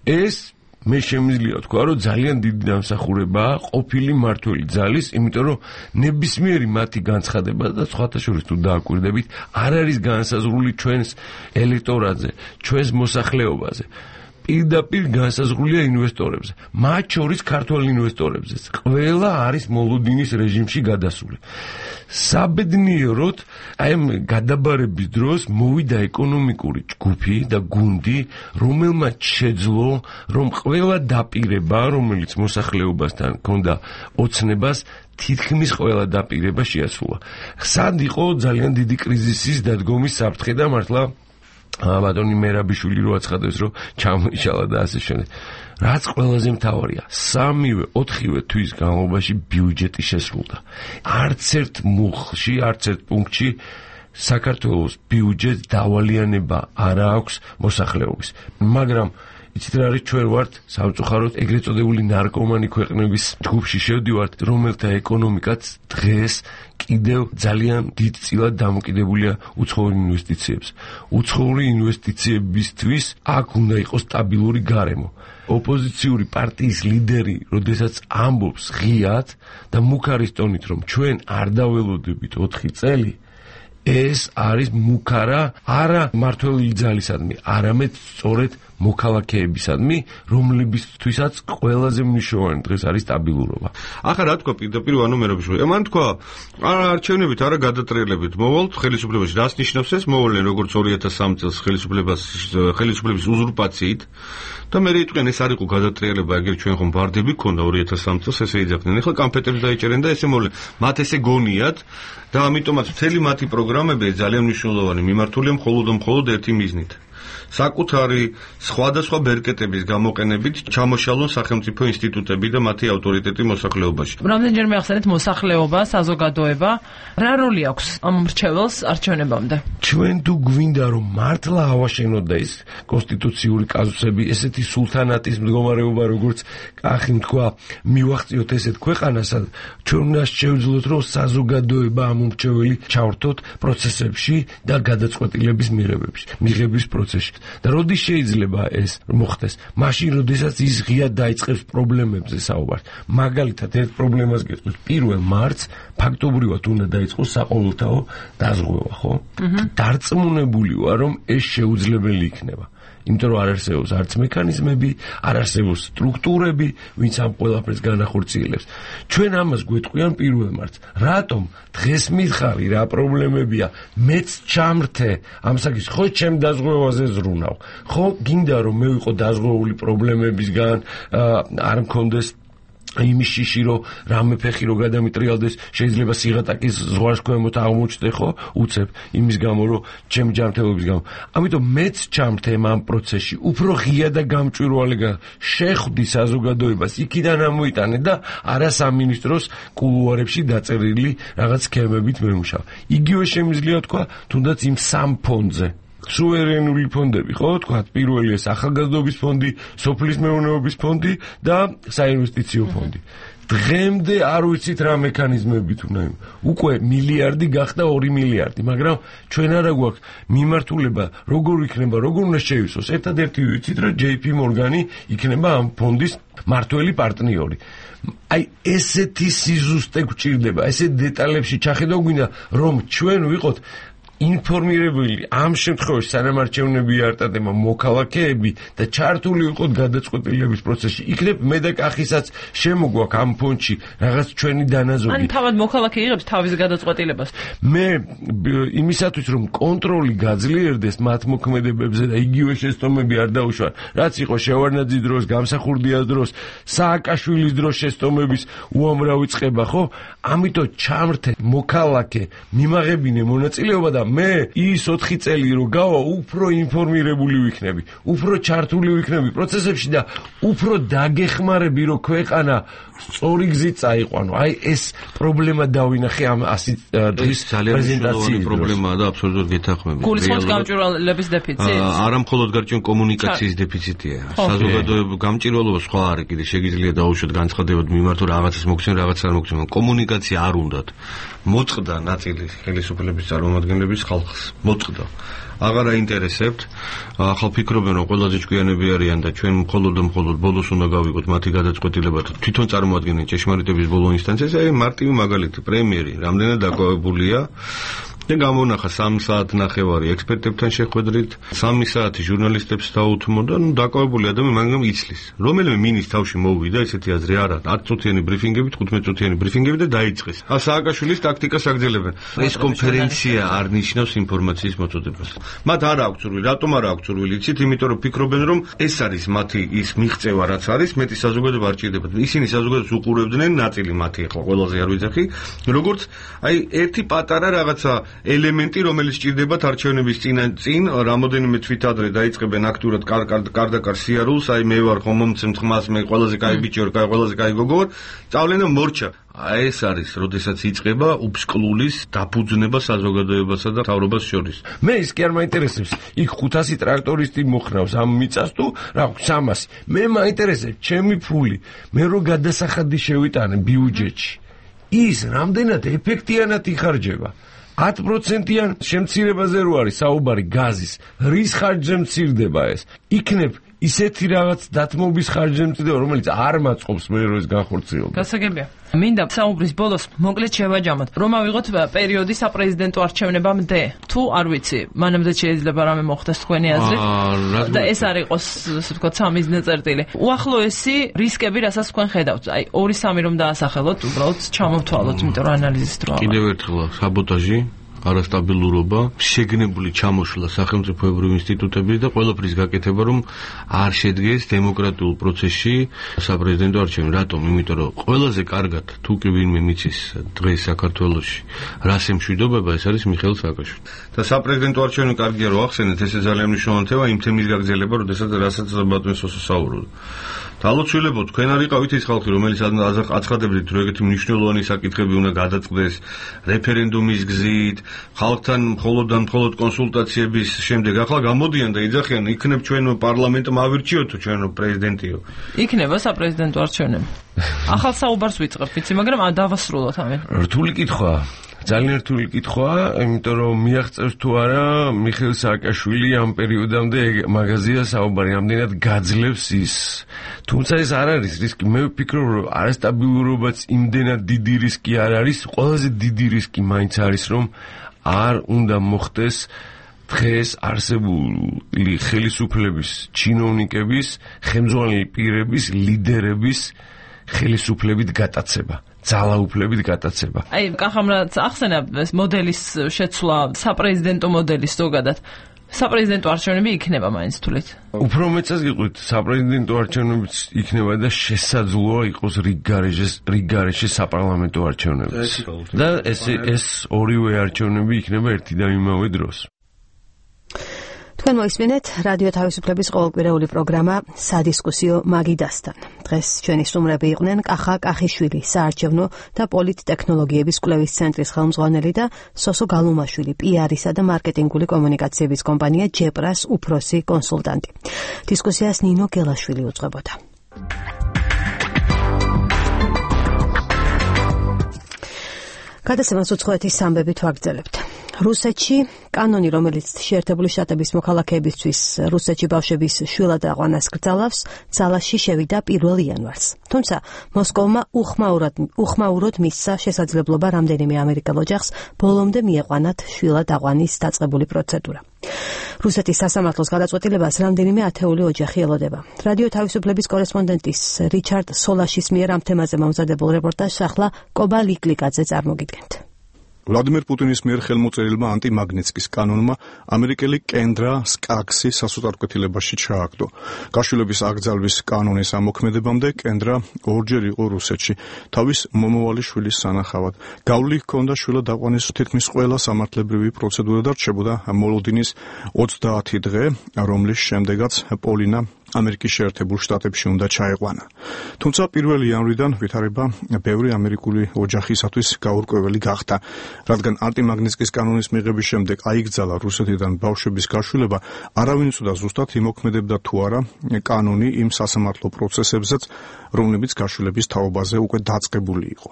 ეს მე შემიძლია თქვა, რომ ძალიან დიდი დამსახურებაა ყოფილი მმართველი ძალის, იმიტომ რომ ნებისმიერი მათი განცხადება და სხვათა შორის თუ დააკვირდებით, არ არის განსაზღვრული ჩვენს ელექტორატზე, ჩვენს მოსახლეობაზე. პირდაპირ განსაზღვრულია ინვესტორებზე, მათ შორის ქართველ ინვესტორებზეც. ყველა არის მოლოდინის რეჟიმში გადასული. საბედნიეროდ, აი ამ გადაბარების დროს მოვიდა ეკონომიკური ჯგუფი და გუნდი, რომელმაც შეძლო, რომ ყველა დაპირება, რომელიც მოსახლეობასთან ჰქონდა ოცნებას, თითქმის ყველა დაპირება შეასრულა. სად იყო ძალიან დიდი კრიზისის დადგომის საფრთხე და მართლა ბატონი მერაბიშვილი რო აცხადებს, რომ ჩამოიშალა და ასე შემდეგ. რაც ყველაზე მთავარია, 3-4 თვის განმავლობაში ბიუჯეტი შესრულდა. არც ერთ მუხლში, არც ერთ პუნქტში საქართველოს ბიუჯეტს დავალიანება არ აქვს მოსახლეობის. მაგრამ იცით რა არის, ჩვენ ვართ სამწუხაროდ ეგრეთ წოდებული ნარკომანი ქვეყნების ჯგუფში შევდივართ, რომელთა ეკონომიკაც დღეს კიდევ ძალიან დიდწილად დამოკიდებულია უცხოურ ინვესტიციებს. უცხოური ინვესტიციებისთვის აქ უნდა იყოს სტაბილური გარემო. ოპოზიციური პარტიის ლიდერი, როდესაც ამბობს ღიად და მუქარის ტონით, რომ ჩვენ არ დაველოდებით 4 წელი, ეს არის მუქარა არა მმართველი ძალისადმი, არამედ სწორედ მოქალაქეებისადმი, რომლებისთვისაც ყველაზე მნიშვნელოვანი დღეს არის სტაბილურობა. ახლა რა თქვა პირდაპირ ვანო მერაბიშვილი? მან თქვა, არა არჩევნებით, არა გადატრიალებით მოვალთ ხელისუფლებაში. რას ნიშნავს ეს? მოვალენ როგორც 2003 წელს ხელისუფლების უზურპაციით და მე რითქენ ეს არ იყო გადატრიალება, ეგრე ჩვენ ხომ ბარდები ქონდა 2003 წელს ესე იძახდნენ. ახლა კამფეტებს დაიჭერენ და ესე მოვლენ. მათ ესე გონიათ და ამიტომაც მთელი მათი პროგრამები ძალიან მნიშვნელოვანი მიმართულია მხოლოდ ერთი მიზნით. საკუთარი სხვადასხვა ბერკეტების გამოყენებით ჩამოშალონ სახელმწიფო ინსტიტუტები და მათი ავტორიტეტი მოსახლეობაში. რამდენჯერმე ახსენეთ მოსახლეობა, საზოგადოება, რა როლი აქვს ამ მრჩეველს არჩევნებამდე? ჩვენ თუ გვინდა რომ მართლა ავაშენოთ და ის კონსტიტუციური კაზუსები, ესეთი სულთანატის მდგომარეობა, როგორც კახი თქვა, მივახციოთ ესეთ ქვეყანას, ჩვენ უნდა შევძლოთ რომ საზოგადოება ამ მრჩეველი ჩავრთოთ პროცესებში და გადაწყვეტილების მიღების პროცესში. და როდის შეიძლება ეს მოხდეს? მაშინ, როდესაც ის ღიად დაიწყებს პრობლემებზე საუბარს. მაგალითად, ერთ პრობლემას გეტყვით, 1 მარტს ფაქტობრივად უნდა დაიწყოს საყოველთაო დაზღვევა, ხო? დარწმუნებული ვარ, რომ ეს შეუძლებელი იქნება. იმიტომ რომ არ არსებობს არც მექანიზმები, არ არსებობს სტრუქტურები, ვინც ამ ყველაფერს განახორციელებს. ჩვენ ამას გვეტყვიან 1 მარტს. რატომ დღეს მითხარი რა პრობლემებია? მეც ჩამრთე ამ საკითხს, ხო ჩემ დაზღვევაზე ზრუნავ. ხო გინდა რომ მე ვიყო დაზღვეული პრობლემებისგან, არ მქონდეს იმის შიში რომ რამე ფეხი რო გადამიტრიალდეს, შეიძლება სიღატაკის ზღვარს ქვემოთ აღმოჩნდე, ხო? უცებ იმის გამო რომ ჩემი ჯანმრთელობის გამო. ამიტომ მეც ჩამრთე ამ პროცესში, უფრო ღია და გამჭვირვალე შეხვდი საზოგადოებას, იქიდან ამოიტანე და არა სამინისტროს კულუარებში დაწერილი რაღაც სქემებით მემუშავე. იგივე შემიძლია თქვა თუნდაც იმ სამ ფონდზე. სუვერენული ფონდები, ხო, თქვა, პირველია ახალგაზრდობის ფონდი, სოფლის მეურნეობის ფონდი და საინვესტიციო ფონდი. დღემდე არ ვიცით რა მექანიზმებით უნდა. უკვე მილიარდი გახდა 2 მილიარდი, მაგრამ ჩვენ არა გვაქვს მიმართულება, როგორ იქნება, როგორ უნდა შეივსოს. ერთადერთი ვიცით, რომ JP Morgan იქნება ამ ფონდის მართველი პარტნიორი. აი ესეთი სიზუსტე გვჭირდება, ესეთ დეტალებში ჩახედავ გვინდა, რომ ჩვენ ვიყოთ ინფორმირებული ამ შემთხვევაში სანამ არჩევნები არტადება მოქალაქეები და ჩართული ვიყოთ გადაწყვეტილების პროცესში. იქნებ მე და კახისაც შემოგვაქვს ამ ფონდში რაღაც ჩვენი დანაზოგი. ან თავად მოქალაქე იღებს თავის გადაწყვეტილებას. მე იმისათვის რომ კონტროლი გაძლიერდეს მათ მოქმედებებზე და იგივე შეცდომები არ დაუშვან, რაც იყო შევარდნაძის დროს, გამსახურდიას დროს, სააკაშვილის დროს შეცდომების უამრავი წყება, ხო? ამიტომ ჩამრთე მოქალაქე მიმაღებინე მონაწილეობა და მე ის 4 წელი რო გავა, უფრო ინფორმირებული ვიქნები, უფრო ჩართული ვიქნები პროცესებში და უფრო დაგეხმარები, რომ ქვეყანა სწორი გზით წაიყვანო. აი ეს პრობლემა დავინახე ამ 100 დღის პრეზენტაციის პრობლემაა და აბსოლუტურად გეთანხმები. გულისხმობს გამჭვირვალების დეფიციტს. არა მხოლოდ გარკვეული კომუნიკაციის დეფიციტია. საზოგადოების გამჭვირვალობა სხვა არის, კიდე შეგიძლია დაუშვათ განცხადებად მიმართო რაღაცას მოგცემ, რაღაცას არ მოგცემ. კომუნიკაცია არ უნდათ. მოწყდა ნაწილი ხელისუფლების წარმომადგენლების ხალხს. მოწყდა. აღარ აინტერესებთ. ახალ ფიქრობენ რომ ყველაზე ჭკვიანები არიან და ჩვენ მხოლოდ ბოლოს უნდა გავიგოთ მათი გადაწყვეტილება. თვითონ წარმოადგენენ ჭეშმარიტების ბოლო ინსტანციას. აი მარტივი მაგალითი, პრემიერი რამდენად დაკავებულია და გამონახა 3 საათი ნახევარი ექსპერტებთან შეხვედრით, 3 საათი ჟურნალისტებს დაუთმო და დაკავებული ადამიანი მაგრამ იცლის. რომელიმე მინის თავში მოვიდა ესეთი აზრი არა, 10 წუთიანი ბრიფინგები, 15 წუთიანი ბრიფინგები და დაიწყეს. სააკაშვილის ტაქტიკას აგრძელებენ. ეს კონფერენცია არ ნიშნავს ინფორმაციის მოწოდებას. მათ არ აქვს სურვილი, რატომ არ აქვს სურვილი? იცით, იმიტომ რომ ფიქრობენ რომ ეს არის მათი ის მიღწევა რაც არის, მეტი საზოგადოება არ ჭირდებათ. ისინი საზოგადოებას უყურებდნენ, ნაწილი მათი ახლა ყველაზე არ ვიძახი, როგორც აი ერთი პატარა რაღაცა ელემენტი, რომელიც ჭირდებათ არჩევნების წინ რამოდენიმე თვით ადრე დაიწყებენ აქტიურად კარდაკარ სიარულს, აი მე ვარ ხომ მომცემ ხმას, მე ყველაზე კაი ბიჭი ვარ, ყველაზე კაი გოგო ვარ, წავლენ და მორჩა. ეს არის, როდესაც იწყება უფსკლულის დაფუძნება საზოგადოებასა და მთავრობას შორის. მე ის კი არ მაინტერესებს, იქ 500 ტრაქტორისტი მოხრავს ამ მიწას თუ რა 300. მე მაინტერესებს ჩემი ფული, მე რო გადასახადი შევიტანე ბიუჯეტში. ის რამდენად ეფექტიანად იხარჯება? 10%-იან შემცირებაზე რო არის საუბარი გაზის, რის ხარჯზე მცირდება ეს? იქნებ ისეთი რაღაც დათმობის ხარჯზე მცირდება, რომელიც არ მაწყობს მე რო ეს განხორციელდეს. გასაგებია. მინდა საუბრის ბოლოს მოკლედ შევაჯამოთ, რომ ავიღოთ პერიოდი საპრეზიდენტო არჩევნებამდე. თუ არ ვიცი, მანამდე შეიძლება რამე მოხდეს თქვენი აზრით და ეს არ იყოს, ასე ვთქვათ, სამიზნე წერტილი. უახლოესი რისკები, რასაც თქვენ ხედავთ? აი 2-3 რომ დაასახელოთ, უბრალოდ ჩამოვთვალოთ, იმიტომ რომ ანალიზის დროა. კიდევ ერთხელ საბოტაჟი, არასტაბილურობა, შეგნებული ჩამოშლა სახელმწიფოებრივ ინსტიტუტების და ყველაფრის გაკეთება, რომ არ შედგეს დემოკრატიულ პროცესში საპრეზიდენტო არჩევნები. რატომ? იმიტომ რომ ყველაზე კარგად თუ კი ვინმე მიცის დღეს საქართველოში რას ემშვიდობება, ეს არის მიხეილ სააკაშვილი. და საპრეზიდენტო არჩევნები კარგია რომ ახსენეთ, ეს ძალიან მნიშვნელოვანი თემა იმ თემის გაგრძელება, რასაც ბატონი სოსო საუბრობდა. თალოცვილებო, თქვენ არ იყავით ის ხალხი, რომელიც აცხადებდით, რომ ეგეთი მნიშვნელოვანი საკითხები უნდა გადაწყდეს რეფერენდუმის გზით, ხალხთან მხოლოდ კონსულტაციების შემდეგ. ახლა გამოდიან და იძახიან, იქნებ ჩვენო პარლამენტმა ავირჩიოთ თუ ჩვენო პრეზიდენტიო. იქნება საპრეზიდენტო არჩევნები. ახალ საუბარს ვიწყებ, ვიცი, მაგრამ დავასრულოთ ამენ. რთული კითხვა. ძალიან რთული კითხვაა, იმიტომ რომ მიაღწევს თუ არა მიხეილ სააკაშვილი ამ პერიოდამდე მაგაზია საუბარი, ამდენად გაძლევს ის. თუმცა ეს არ არის რისკი. მე ვფიქრობ, რომ არასტაბილურობაც იმდენად დიდი რისკი არ არის, ყველაზე დიდი რისკი მაინც არის, რომ არ უნდა მოხდეს დღეს არსებული ხელისუფლების, ჩინოვნიკების, ხელმძღვანელი პირების, ლიდერების ხელისუფლებით გატაცება. ძალაუფლებით გატაცება. აი, კახამრაც ახსენა მოდელის შეცვლა, საპრეზიდენტო მოდელის ზოგადად. საპრეზიდენტო არჩევნები იქნება მაინც თulit. უფრო მეცას გიყვით, საპრეზიდენტო არჩევნებიც იქნება და შესაძლოა იყოს რიგ გარეშე საპარლამენტო არჩევნები. და ეს ორივე არჩევნები იქნება ერთი და იმავე დროს. თქვენ მოისმინეთ რადიო თავისუფლების ყოველკვირეული პროგრამა სადისკუსიო მაგიდასთან. დღეს ჩვენი სტუმრები იყვნენ კახა კახიშვილი, საარჩევნო და პოლიტტექნოლოგიების კვლევის ცენტრის ხელმძღვანელი და სოსო გალუმაშვილი, PR-ისა და მარკეტინგული კომუნიკაციების კომპანია ჯეპრას უფროსი კონსულტანტი. დისკუსიას ნინო გელაშვილი უძღვებოდა. გადაცემას უცხოეთის ამბებით ვაგრძელებთ. რუსეთში კანონი, რომელიც შეერთებული შტატების მოქალაქეებისთვის რუსეთში ბავშვების შვილად აყვანას გრძელავს, ძალაში შევიდა 1 იანვარს. თუმცა მოსკოვმა უხმაუროდ მისცა შესაძლებლობა რამდენიმე ამერიკელ ოჯახს ბოლომდე მიეყვანათ შვილად აყვანის დაწყებული პროცედურა. რუსეთის სასამართლოს გადაწყვეტილებას რამდენიმე ათეული ოჯახი ელოდება. რადიო თავისუფლების კორესპონდენტის რიჩარდ სოლაშის მიერ ამ თემაზე მომზადებულ რეპორტაჟს ახლა კობა ლიკლიკაძე წარმოგიდგენთ. ვლადიმერ პუტინის მიერ ხელმოწერილმა ანტიმაგნიტსკის კანონმა ამერიკელი კენდრა სკაქსი სასუთარკვეთილებაში ჩააგდო. გაშვილების აკრძალვის კანონის ამოქმედებამდე კენდრა ორჯერ იყო რუსეთში, თავის მომავალი შვილის სანახავად. გავლი ჰქონდა შვილად აყვანის თითქმის ყველა სამართლებრივი პროცედურა და რჩებოდა მოლოდინის 30 დღე, რომლის შემდეგაც პოლინა ამერიკის შეერთებულ შტატებში უნდა ჩაეყვანა. თუმცა 1 იანვრიდან ვითარება ბევრი ამერიკული ოჯახისათვის გაურკვეველი გახდა, რადგან ანტიმაგნიტსკის კანონის მიღების შემდეგ აიგრძალა რუსეთიდან ბავშვების გაშვილება, არავინ უცოდა ზუსტად იმოქმედებდა თუ არა კანონი იმ სასამართლო პროცესებზეც, რომლებიც გაშვილების თაობაზე უკვე დაწყებული იყო.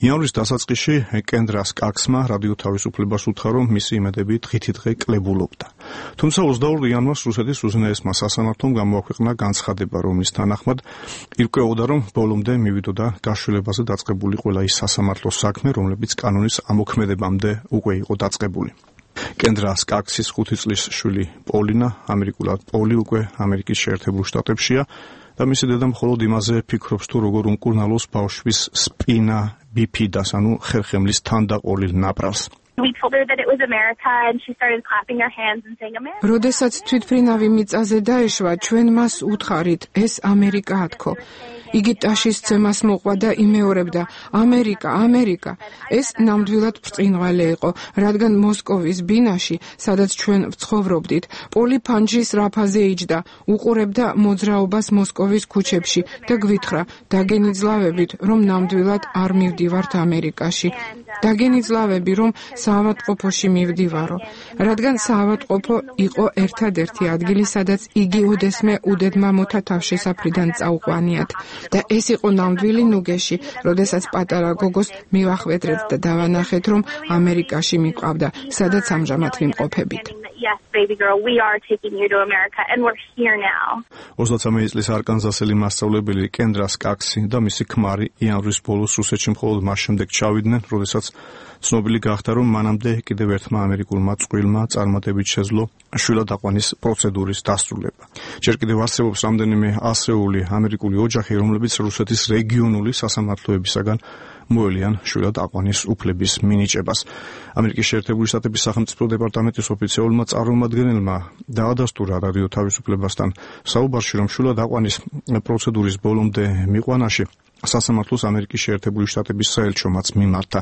იანვრის დასაწყისში კენდრა სკაქსმა რადიო თავისუფლებას უთხრა, რომ მისი იმედები დღითიდღე კლებულობდა. თუმცა 22 იანვარს რუსეთის უზენაესმა სასამართლომ გამოაქვეყნა განცხადება, რომლის თანახმად ირკვეოდა, რომ ბოლომდე მივიდოდა გაშვილებაზე დაწყებული ყველა ის სასამართლოს საქმე, რომლებიც კანონის ამოქმედებამდე უკვე იყო დაწყებული. კენდრა სკაქსის 5 წლის შვილი პოლინა, ამერიკულად პოლი უკვე ამერიკის შეერთებულ შტატებშია და მისი დედა მხოლოდ იმაზე ფიქრობს, თუ როგორ უმკურნალოს ბავშვის სპინა ბიფიდას, ანუ ხერხემლის თანდაყოლილ ნაპრალს. We told her that it was America and she started clapping her hands and saying America. როდესაც თვითმფრინავი მიწაზე დაეშვა, ჩვენ მას უთხარით, ეს ამერიკაა თქო. იგი ტაშის ცემას მოყვა და იმეორებდა, ამერიკა, ამერიკა. ეს ნამდვილად ბრწყინვალე იყო, რადგან მოსკოვის ბინაში, სადაც ჩვენ ვცხოვრობდით, პოლი ფანჯრის რაფაზე იჯდა, უყურებდა მოძრაობას მოსკოვის ქუჩებში და გვითხრა, დაგენიძლავებით, რომ ნამდვილად არ მივდივართ ამერიკაში. დაგენიძლავები, რომ საავადმყოფოში მივდივარო, რადგან საავადმყოფო იყო ერთადერთი ადგილი, სადაც იგი უდესმე უდედმამოთა თავშესაფრიდან წაუყვანიათ. და ეს იყო ნამდვილი ნუგეში, როდესაც პატარა გოგოს მივახვედრეთ და დავანახეთ, რომ ამერიკაში მიყვავდა, სადაც ამჟამად ვიმყოფებით. Yes, baby girl, we are taking you to America and we're here now. 33 წლის არკანზასელი მასწავლებელი კენდრა სკაქსი და მისი ქმარი იანვრის ბოლოს რუსეთში მხოლოდ მას შემდეგ ჩავიდნენ, როდესაც ცნობილი გახდა, რომ მანამდე კიდევ ერთმა ამერიკულმა წყვილმა წარმატებით შეძლო შვილად აყვანის პროცედურის დასრულება. ჯერ კიდევ არსებობს რამდენიმე ასეული ამერიკული ოჯახი, რომლებიც რუსეთის რეგიონული სასამართლოებისაგან მოელიან შვილად აყვანის უფლების მინიჭებას. ამერიკის შეერთებული შტატების სახელმწიფო დეპარტამენტის ოფიციალურმა წარმომადგენელმა დაადასტურა რადიო თავისუფლებასთან საუბარში, რომ შვილად აყვანის პროცედურის ბოლომდე მიყვანაში სასამართლოს ამერიკის შეერთებული შტატების საელჩომაც მიმართა.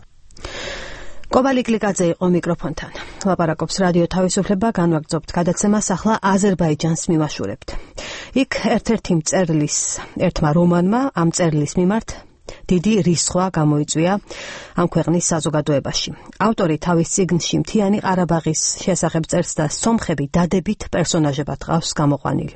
კობალი გლიკაძე იყო მიკროფონთან. ლაპარაკობს რადიო თავისუფლება, განვაგრძობთ გადაცემას ახლა აზერბაიჯანს მივაშურებთ. იქ ერთ-ერთი მწერლის ერთმა რომანმა ამ მწერლის მიმართ დიდი რისხვა გამოიწვია ამ ქვეყნის საზოგადოებაში. ავტორი თავის წიგნში მთიანი ყარაბაღის შესახებ წერს და სომხები დადებით პერსონაჟებად ყავს გამოყვანილი.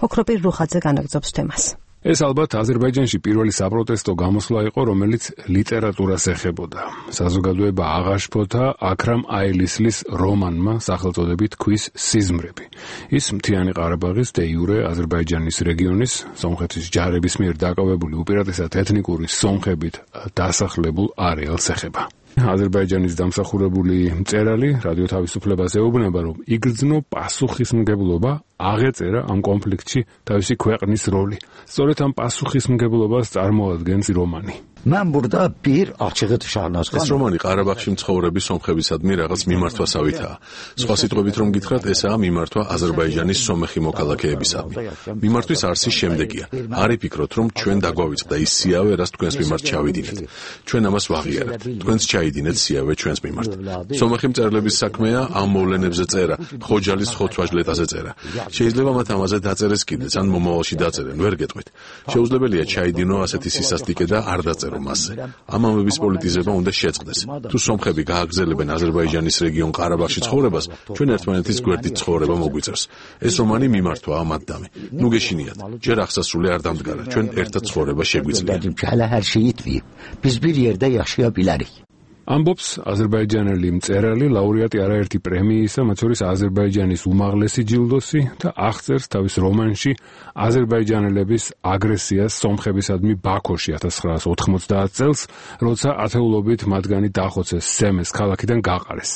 ოქროპირ რუხაძე განაგრძობს თემას. ეს ალბათ აზერბაიჯანში პირველი საპროტესტო გამოსვლა იყო, რომელიც ლიტერატურას ეხებოდა. საზოგადოება აღაშფოთა აქრამ აილისლის რომანმა სახელწოდებით ქვის სიზმრები. ის მთიანი ყარაბაღის დე იურე აზერბაიჯანის რეგიონის სომხეთის ჯარების მიერ დაკავებული უპირატესად ეთნიკური სომხებით დასახლებულ არეალს ეხება. აზერბაიჯანის დამსახურებული მწერალი რადიო თავისუფლებას ეუბნება, რომ იგრძნო პასუხისმგებლობა აღეწერა ამ კონფლიქტში თავისი ქვეყნის როლი. სწორედ ამ პასუხისმგებლობას წარმოადგენს რომანი. Mən burada bir açığı şahnazqan. ეს რომანი ყარაბაღში მცხოვრები სომხებისადმი რაღაც მიმართვასავითაა. სხვა სიტყვებით რომ გითხრათ, ესაა მიმართვა აზერბაიჯანის სომეხი მოქალაქეებისადმი. მიმართვის არსი შემდეგია. არ იფიქროთ, რომ ჩვენ დაგვავიწყდა ის სიავე, რაც თქვენს მიმართ ჩავიდინეთ. ჩვენ ამას ვაღიარებთ. თქვენც ჩაიდინეთ სიავე ჩვენს მიმართ. სომეხი მწერლების საქმეა ამ მოვლენებზე წერა, ხოჯალის ხოცვაჟლეტაზე წერა. შეიძლება მათ ამაზე დაწერეს კიდეც, ან მომავალში დაწერენ, ვერ გეტყვით. შეუძლებელია ჩაიდინო ასეთი სისასტიკე და არ დაწერო მასზე. ამ ამბების პოლიტიზება უნდა შეწყდეს. თუ სომხები გააგრძელებენ აზერბაიჯანის რეგიონ ყარაბაღში ცხოვრებას, ჩვენ ერთმანეთის გვერდით ცხოვრება მოგვიწევს. ეს რომანი მიმართვაა ამ ადამი. ნუ გეშინიათ, ჯერ აღსასრული არ დამდგარა, ჩვენ ერთად ცხოვრება შეგვიძლია. Biz bir yerdə yaşaya bilərik. ამბობს აზერბაიჯანელი მწერალი, ლაურეატი არაერთი პრემიისა, მათ შორის აზერბაიჯანის უმაღლესი ჯილდოსი და აღწერს თავის რომანში აზერბაიჯანელების აგრესიას სომხებისადმი ბაქოში 1990 წელს, როცა ათეულობით მათგანი დახოცეს სემეს ქალაქიდან გაყარეს.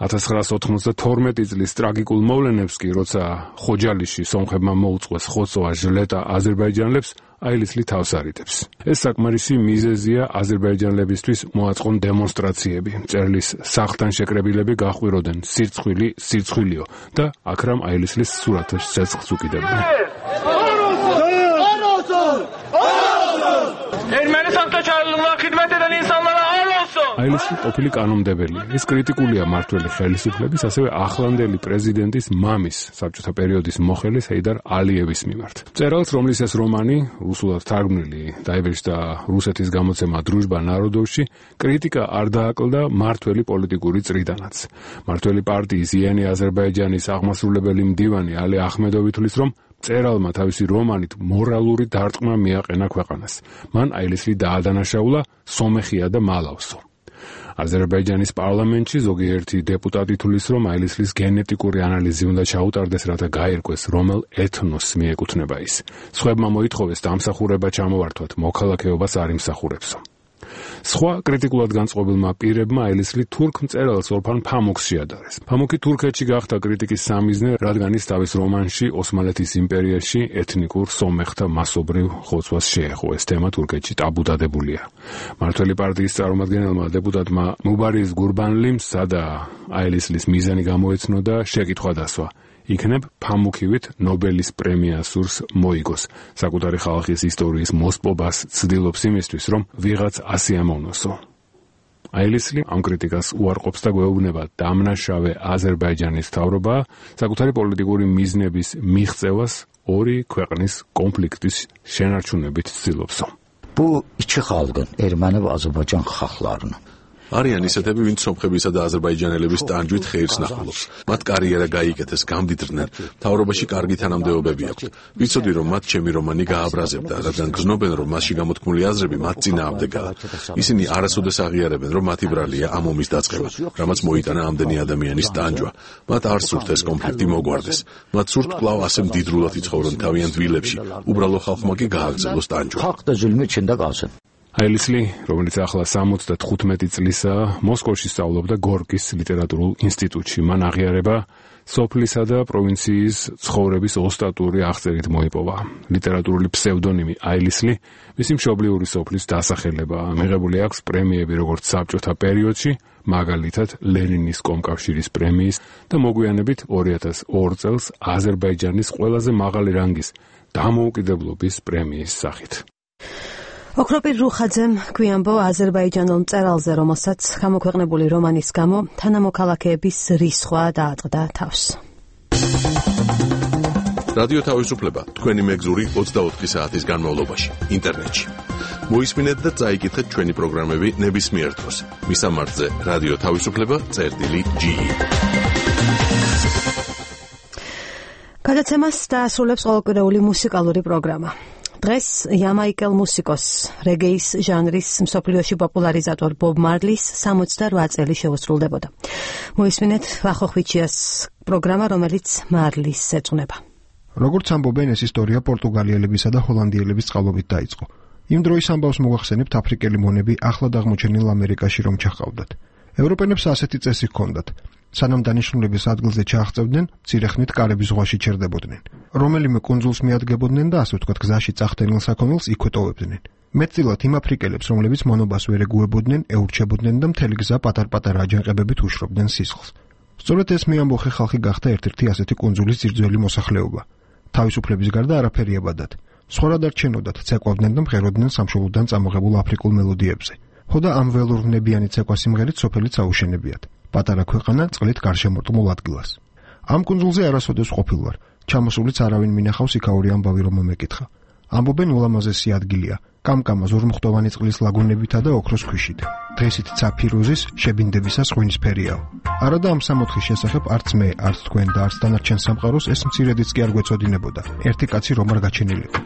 1992 წლის ტრაგიკულ მოვლენებს კი, როცა ხოჯალიში სომხებმა მოუწყვეს ხოცვა ჟლეტა აზერბაიჯანელებს, აილისლი თავს არიდებს. ეს საკმარისი მიზეზია აზერბაიჯანელებისთვის მოაწყონ დემონსტრაციები. მწერლის სახლთან შეკრებილები გაჰყვიროდნენ სირცხვილი, სირცხვილიო და აქრამ აილისლის სურათებს ცეცხლს უკიდებდნენ. აილისი ყოფილი კანონმდებელი. ის კრიტიკულია მმართველი ხელისუფლების, ასევე ახლანდელი პრეზიდენტის მამის, საბჭოთა პერიოდის მოხელის ჰეიდარ ალიევის მიმართ. მწერალს, რომლის ეს რომანი რუსულად თარგმნილი დაიბეჭდა რუსეთის გამოცემა დრუჟბა ნაროდოვში, კრიტიკა არ დააკლდა მმართველი პოლიტიკური წრიდანაც. მმართველი პარტიის იენი აზერბაიჯანის აღმასრულებელი მდივანი ალი ახმედოვი თვლის, რომ მწერალმა თავისი რომანით მორალური დარტყმა მიაყენა ქვეყანას. მან აილისი დაადანაშაულა სომეხია და მალავსო. აზერბაიჯანის პარლამენტში ზოგიერთი დეპუტატი თვლის, რომ აილისლის გენეტიკური ანალიზი უნდა ჩაუტარდეს, რათა გაირკვეს, რომელ ეთნოსს მიეკუთვნება ის. სხვებმა მოითხოვეს დამსახურება ჩამოვართვათ, მოქალაქეობას არ იმსახურებსო. სხვა კრიტიკულად განწყობილმა პირებმა აილისლი თურქ მწერალს ორფან ფამუქს შეადარეს. ფამუქი თურქეთში გახდა კრიტიკის სამიზნე, რადგან ის თავის რომანში ოსმალეთის იმპერიაში ეთნიკურ სომეხთა მასობრივ ხოცვას შეეხო. ეს თემა თურქეთში ტაბუ დადებულია. მმართველი პარტიის წარმომადგენელმა დეპუტატმა მუბარის გურბანლიმ სადა აილისლის მიზანი გამოეცნო და შეკითხვა დასვა. იქნებ ფამუქივით ნობელის პრემია სურს მოიგოს. საკუთარი ხალხის ისტორიის მოსპობას ცდილობს იმისთვის, რომ ვიღაც ასე ამოვნოსო. აილისი ამ კრიტიკას უარყოფს და გვეუბნება, დამნაშავე აზერბაიჯანის მთავრობა საკუთარი პოლიტიკური მიზნების მიღწევას ორი ქვეყნის კონფლიქტის შენარჩუნებით ცდილობსო. Bu iki xalqın, Erməni və Azərbaycan xalqlarının არიან ისეთები, ვინც სომხებისა და აზერბაიჯანელების ტანჯვით ხეირს ნახულობს. მათ კარიერა გაიკეთეს, გამდიდრდნენ, მთავრობაში კარგი თანამდებობები აქვთ. ვიცოდი, რომ მათ ჩემი რომანი გააბრაზებდა, რადგან გრძნობენ, რომ მასში გამოთქმული აზრები მათ წინააღმდეგაა. ისინი არასოდეს აღიარებენ, რომ მათი ბრალია ამ ომის დაწყება, რამაც მოიტანა ამდენი ადამიანის ტანჯვა. მათ არ სურთ ეს კონფლიქტი მოგვარდეს. მათ სურთ კვლავ ასე მდიდრულად იცხოვრონ თავიანთ ვილებში, უბრალო ხალხმა კი გააგრძელოს ტანჯვა. აილისლი, რომელიც ახლა 75 წლისაა, მოსკოვში სწავლობდა გორკის ლიტერატურულ ინსტიტუტში. მან აღიარება სოფლისა და პროვინციის ცხოვრების ოსტატური აღწერით მოიპოვა. ლიტერატურული ფსევდონიმი აილისლი მისი მშობლიური სოფლის დასახელებაა. მიღებული აქვს პრემიები როგორც საბჭოთა პერიოდში, მაგალითად ლენინის კომკავშირის პრემიის და მოგვიანებით 2002 წელს აზერბაიჯანის ყველაზე მაღალი რანგის დამოუკიდებლობის პრემიის სახით. ოქროპირ რუხაძემ გვიანბო აზერბაიჯანელ მწერალზე, რომელსაც გამოქვეყნებული რომანის გამო თანამოქალაქეების რისხვა დაატყდა თავს. რადიო თავისუფლება თქვენი მეგზური 24 საათის განმავლობაში ინტერნეტში. მოისმინეთ და წაიკითხეთ ჩვენი პროგრამები ნებისმიერ დროს. მისამართზე რადიო თავისუფლება.ge. გადაცემას დაასრულებს ყოველკვირეული მუსიკალური პროგრამა. დღეს იამაიკელ მუსიკოს, რეგეის ჟანრის მსოფლიოში პოპულარიზატორ ბობ მარლის 68 წელი შეუსრულდებოდა. მოისმინეთ ვახოხვიჩიას პროგრამა, რომელიც მარლის ეძღვნება. როგორც ამბობენ, ეს ისტორია პორტუგალიელებისა და ჰოლანდიელების წყალობით დაიწყო. იმ დროის ამბავს მოგახსენებთ, აფრიკელი მონები ახლად აღმოჩენილ ამერიკაში რომ ჩახავდათ. ევროპელებს ასეთი წესი ჰქონდათ. სანამ დანიშნულების ადგილზე ჩააღწევდნენ, მცირე კარების ზღვაში ჩერდებოდნენ. რომელიმე კუნძულს მიადგებოდნენ და ასე ვთქვათ, გზაში წახდენილ საქონელს იქვე ტოვებდნენ. მეტწილად იმ აფრიკელებს, რომლებიც მონობას ვერ ეგუებოდნენ, ეურჩებოდნენ და მთელი გზა პატარ-პატარა აჯანყებებით უშრობდნენ სისხლს. სწორედ ეს მეამბოხე ხალხი გახდა ერთ-ერთი ასეთი კუნძულის ძირძველი მოსახლეობა. თავისუფლების გარდა არაფერი ებადათ. სხვა რა დარჩენოდათ, ცეკვავდნენ და მღეროდნენ სამშობლოდან წამოღებულ აფრიკულ მელოდიებზე. ხოდა ამ ველურნებიანი ცეკვა სიმღერით სოფელიც აუშენებიათ. პატარა ქვეყანა წყლით გარშემორტყმულ ადგილას. ამ კუნძულზე არასოდეს ყოფილ ვარ. ჩამოსულიც არავინ მინახავს იქაური ამბავი რომ მომეკითხა. ამბობენ ულამაზესი ადგილია, კამკამა ზურმუხტოვანი წყლის ლაგუნებითა და ოქროს ქვიშით. დღესით ცაფირუზის შებინდებისას ღვინისფერიაო. არა და ამ სამოთხის შესახებ არც მე, არც თქვენ და არც დანარჩენ სამყაროს ეს მცირედიც კი არ გვეწოდინებოდა. ერთი კაცი რომ არ გაჩენილიყო.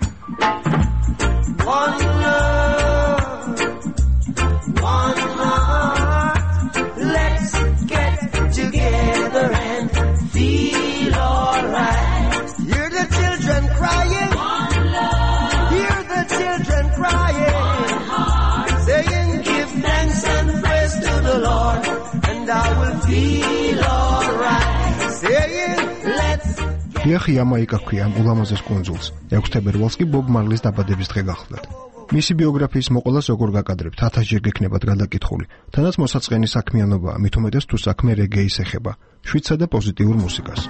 დიახი, იამაიკა ჰქვია ამ ულამაზეს კუნძულს. 6 თებერვალს კი ბობ მარლის დაბადების დღე გახლდათ. მისი ბიოგრაფიის მოყოლას როგორ გაკადრებთ, 1000 ჯერ გექნებათ გადაკითხული. თანაც მოსაწყენი საქმიანობაა, მით უმეტეს თუ საქმე რეგეის ეხება, შვიდსა და პოზიტიურ მუსიკას.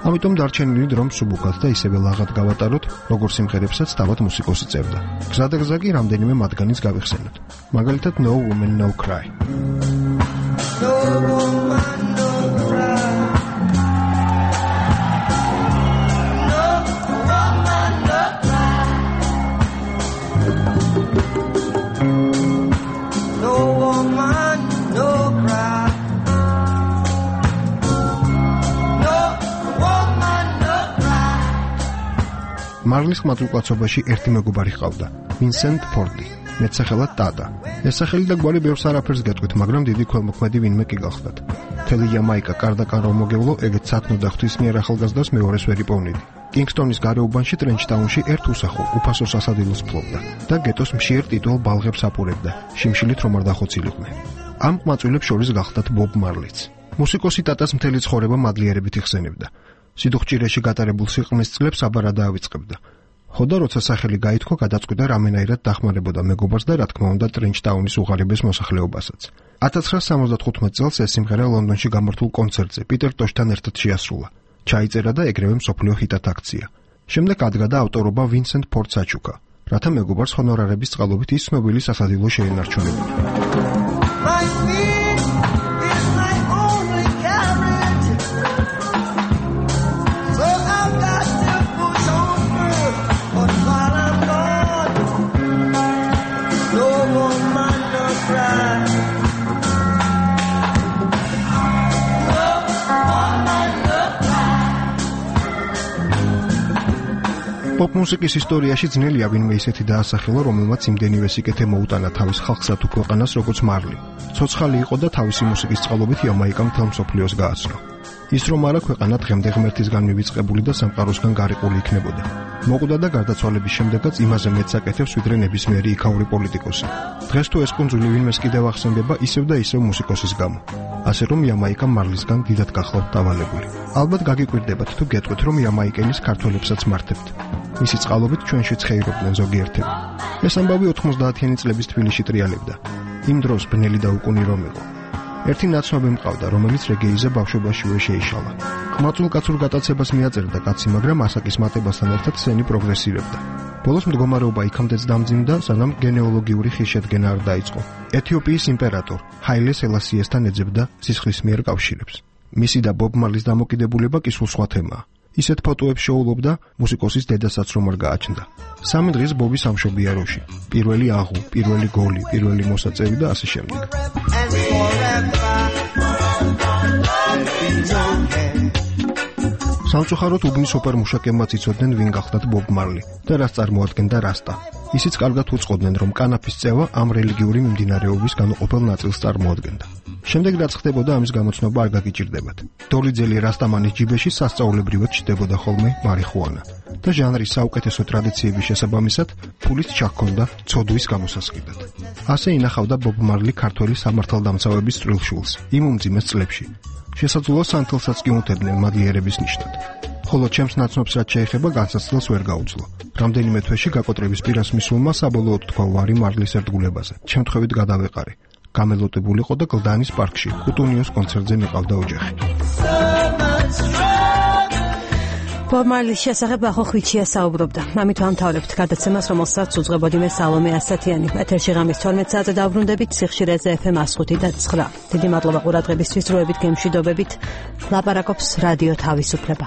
ამიტომ დარჩენილი დრომ სუბუქად და ისევე ლაღად გავატაროთ, როგორც სიმღერებსაც თავად მუსიკოსი წერდა. გზადაგზა კი რამდენიმე მათგანის გავიხსენოთ. მაგალითად No Woman No Cry. No woman no cry. მარლის ხმაძლუკაცობაში ერთი მეგობარი ჰყავდა, ვინსენტ ფორდი, მეტსახელად ტატა. ეს სახელი და გვარი ბევრს არაფერს გეტყვით, მაგრამ დიდი ქველმოქმედი ვინმე კი გახლდათ. მთელი იამაიკა კარდაკან რომ მოგევლო, ეგეც სათნო და ღვთისმიერ ახალგაზრდას მეორეს ვერ იპოვნიდი. კინგსტონის გარეუბანში ტრენჩტაუნში ერთ უსახო, უფასო სასადილოს ფლობდა და გეტოს მშიერ ტიტულ ბალღებს აპურებდა, შიმშილით რომ არ დახოცილიყვნენ. ამ ყმაწვილებს შორის გახლდათ ბობ მარლიც. მუსიკოსი ტატას მთელი ცხოვრება მადლიერებით იხსენებდა. სიდუხჭირეში გატარებულ სიყრმის წლებს აბარა დაავიწყებდა. ხოდა როცა სახელი გაითქვა, გადაწყვიტა რამენაირად დახმარებოდა მეგობარს და რა თქმა უნდა ტრენჩტაუნის უღარიბეს მოსახლეობასაც. 1975 წელს ეს სიმღერა ლონდონში გამართულ კონცერტზე პიტერ ტოშთან ერთად შეასრულა. ჩაიწერა და ეგრევე მსოფლიო ჰიტად აქცია. შემდეგ ადგა და ავტორობა ვინსენტ ფორდს აჩუქა, რათა მეგობარს ჰონორარების წყალობით ის ცნობილი სასადილო შეენარჩუნებინა. პოპ მუსიკის ისტორიაში ძნელია ვინმე ისეთი დაასახელა, რომელმაც იმდენივე სიკეთე მოუტანა თავის ხალხსა თუ ქვეყანას, როგორც მარლი. ცოცხალი იყო და თავისი მუსიკის წყალობით იამაიკა მთელ მსოფლიოს გააცნო. ის რომ არა ქვეყანა დღემდე ღმერთისგან მივიწყებული და სამყაროსგან გარიყული იქნებოდა. მოკვდა და გარდაცვალების შემდეგაც იმაზე მეტს აკეთებს ვიდრე ნებისმიერი იქაური პოლიტიკოსი. დღეს თუ ეს კუნძული ვინმეს კიდევ ახსენდება ისევ და ისევ მუსიკოსის გამო. ასე რომ იამაიკა მარლისგან დიდად გახლავთ დავალებული. ალბათ გაგიკვირდებათ თუ გეტყვით რომ იამაიკელის ქართველებსაც მართებთ. მისი წყალობით ჩვენშიც ხეირობდნენ ზოგიერთები. ეს ამბავი 90-იანი წლების თბილისში ტრიალებდა. იმ დროს ბნელი და უკუნი რომ იყო. ერთი ნაცნობი მყავდა, რომელიც რეგეიზე ბავშვობაშივე შეიშალა. ყმაწვილ-კაცურ გატაცებას მიაწერდა კაცი, მაგრამ ასაკის მატებასთან ერთად სენი პროგრესირებდა. ბოლოს მდგომარეობა იქამდეც დამძიმდა, სანამ გენეოლოგიური ხილშედგენა არ დაიწყო. ეთიოპიის იმპერატორ ჰაილე სელასიესთან ეძებდა სისხლის მიერ კავშირებს. მისი და ბობ მარლის დამოკიდებულება კი სულ სხვა თემაა. ისეთ ფოტოებს შოულობდა მუსიკოსის დედასაც რომ არ გააჩნდა. 3 დღის ბობი სამშობია როში. პირველი აღუ, პირველი გოლი, პირველი მოსაწევი და ასე შემდეგ. სამწუხაროდ უბნის ოპერ-მუშაკებმაც იცოდნენ ვინ გახლდათ ბობ მარლი და რას წარმოადგენდა რასტა. ისიც კარგად უწყობდნენ რომ კანაფის წევა ამ რელიგიური მიმდინარეობის განუყოფელ ნაწილს წარმოადგენდა. შემდეგ რაც ხდებოდა ამის გამოცნობა არ გაგიჭირდებათ. დოლიძელი რასტამანის ჯიბეში სასწაულებრივად ჩნდებოდა ხოლმე მარიხუანა და ჟანრის საუკეთესო ტრადიციების შესაბამისად ფულით ჩაქონდა ცოდვის გამოსასყიდად. ასე ინახავდა ბობ მარლი ქართველი სამართალდამცავების წვრილშულს იმ უმძიმეს წლებში. შესაძლოა სანთელსაც კი უთებდნენ მადლიერების ნიშნად. ხოლო ჩემს ნაცნობს რაც შეეხება განსაცდელს ვერ გაუძლო. რამდენიმე თვეში გაკოტრების პირას მისულმა საბოლოოდ თქვა ვარი მარლის ერთგულებაზე. შემთხვევით გადავეყარე. გამელოტებულიყო და გლდანის პარკში კუტუნიოს კონცერტზე მიყავდა ოჯახი. ბობ მარლის შესახებ ახო ხვიჩია საუბრობდა. ამით ვამთავრებთ გადაცემას, რომელსაც უძღვებოდი მე სალომე ასათიანი. ეთერში ღამის 12 საათზე დავბრუნდებით სიხშირეზე FM 105.9. დიდი მადლობა ყურადღებისთვის, დროებით გემშვიდობებით. ლაპარაკობს რადიო თავისუფლება.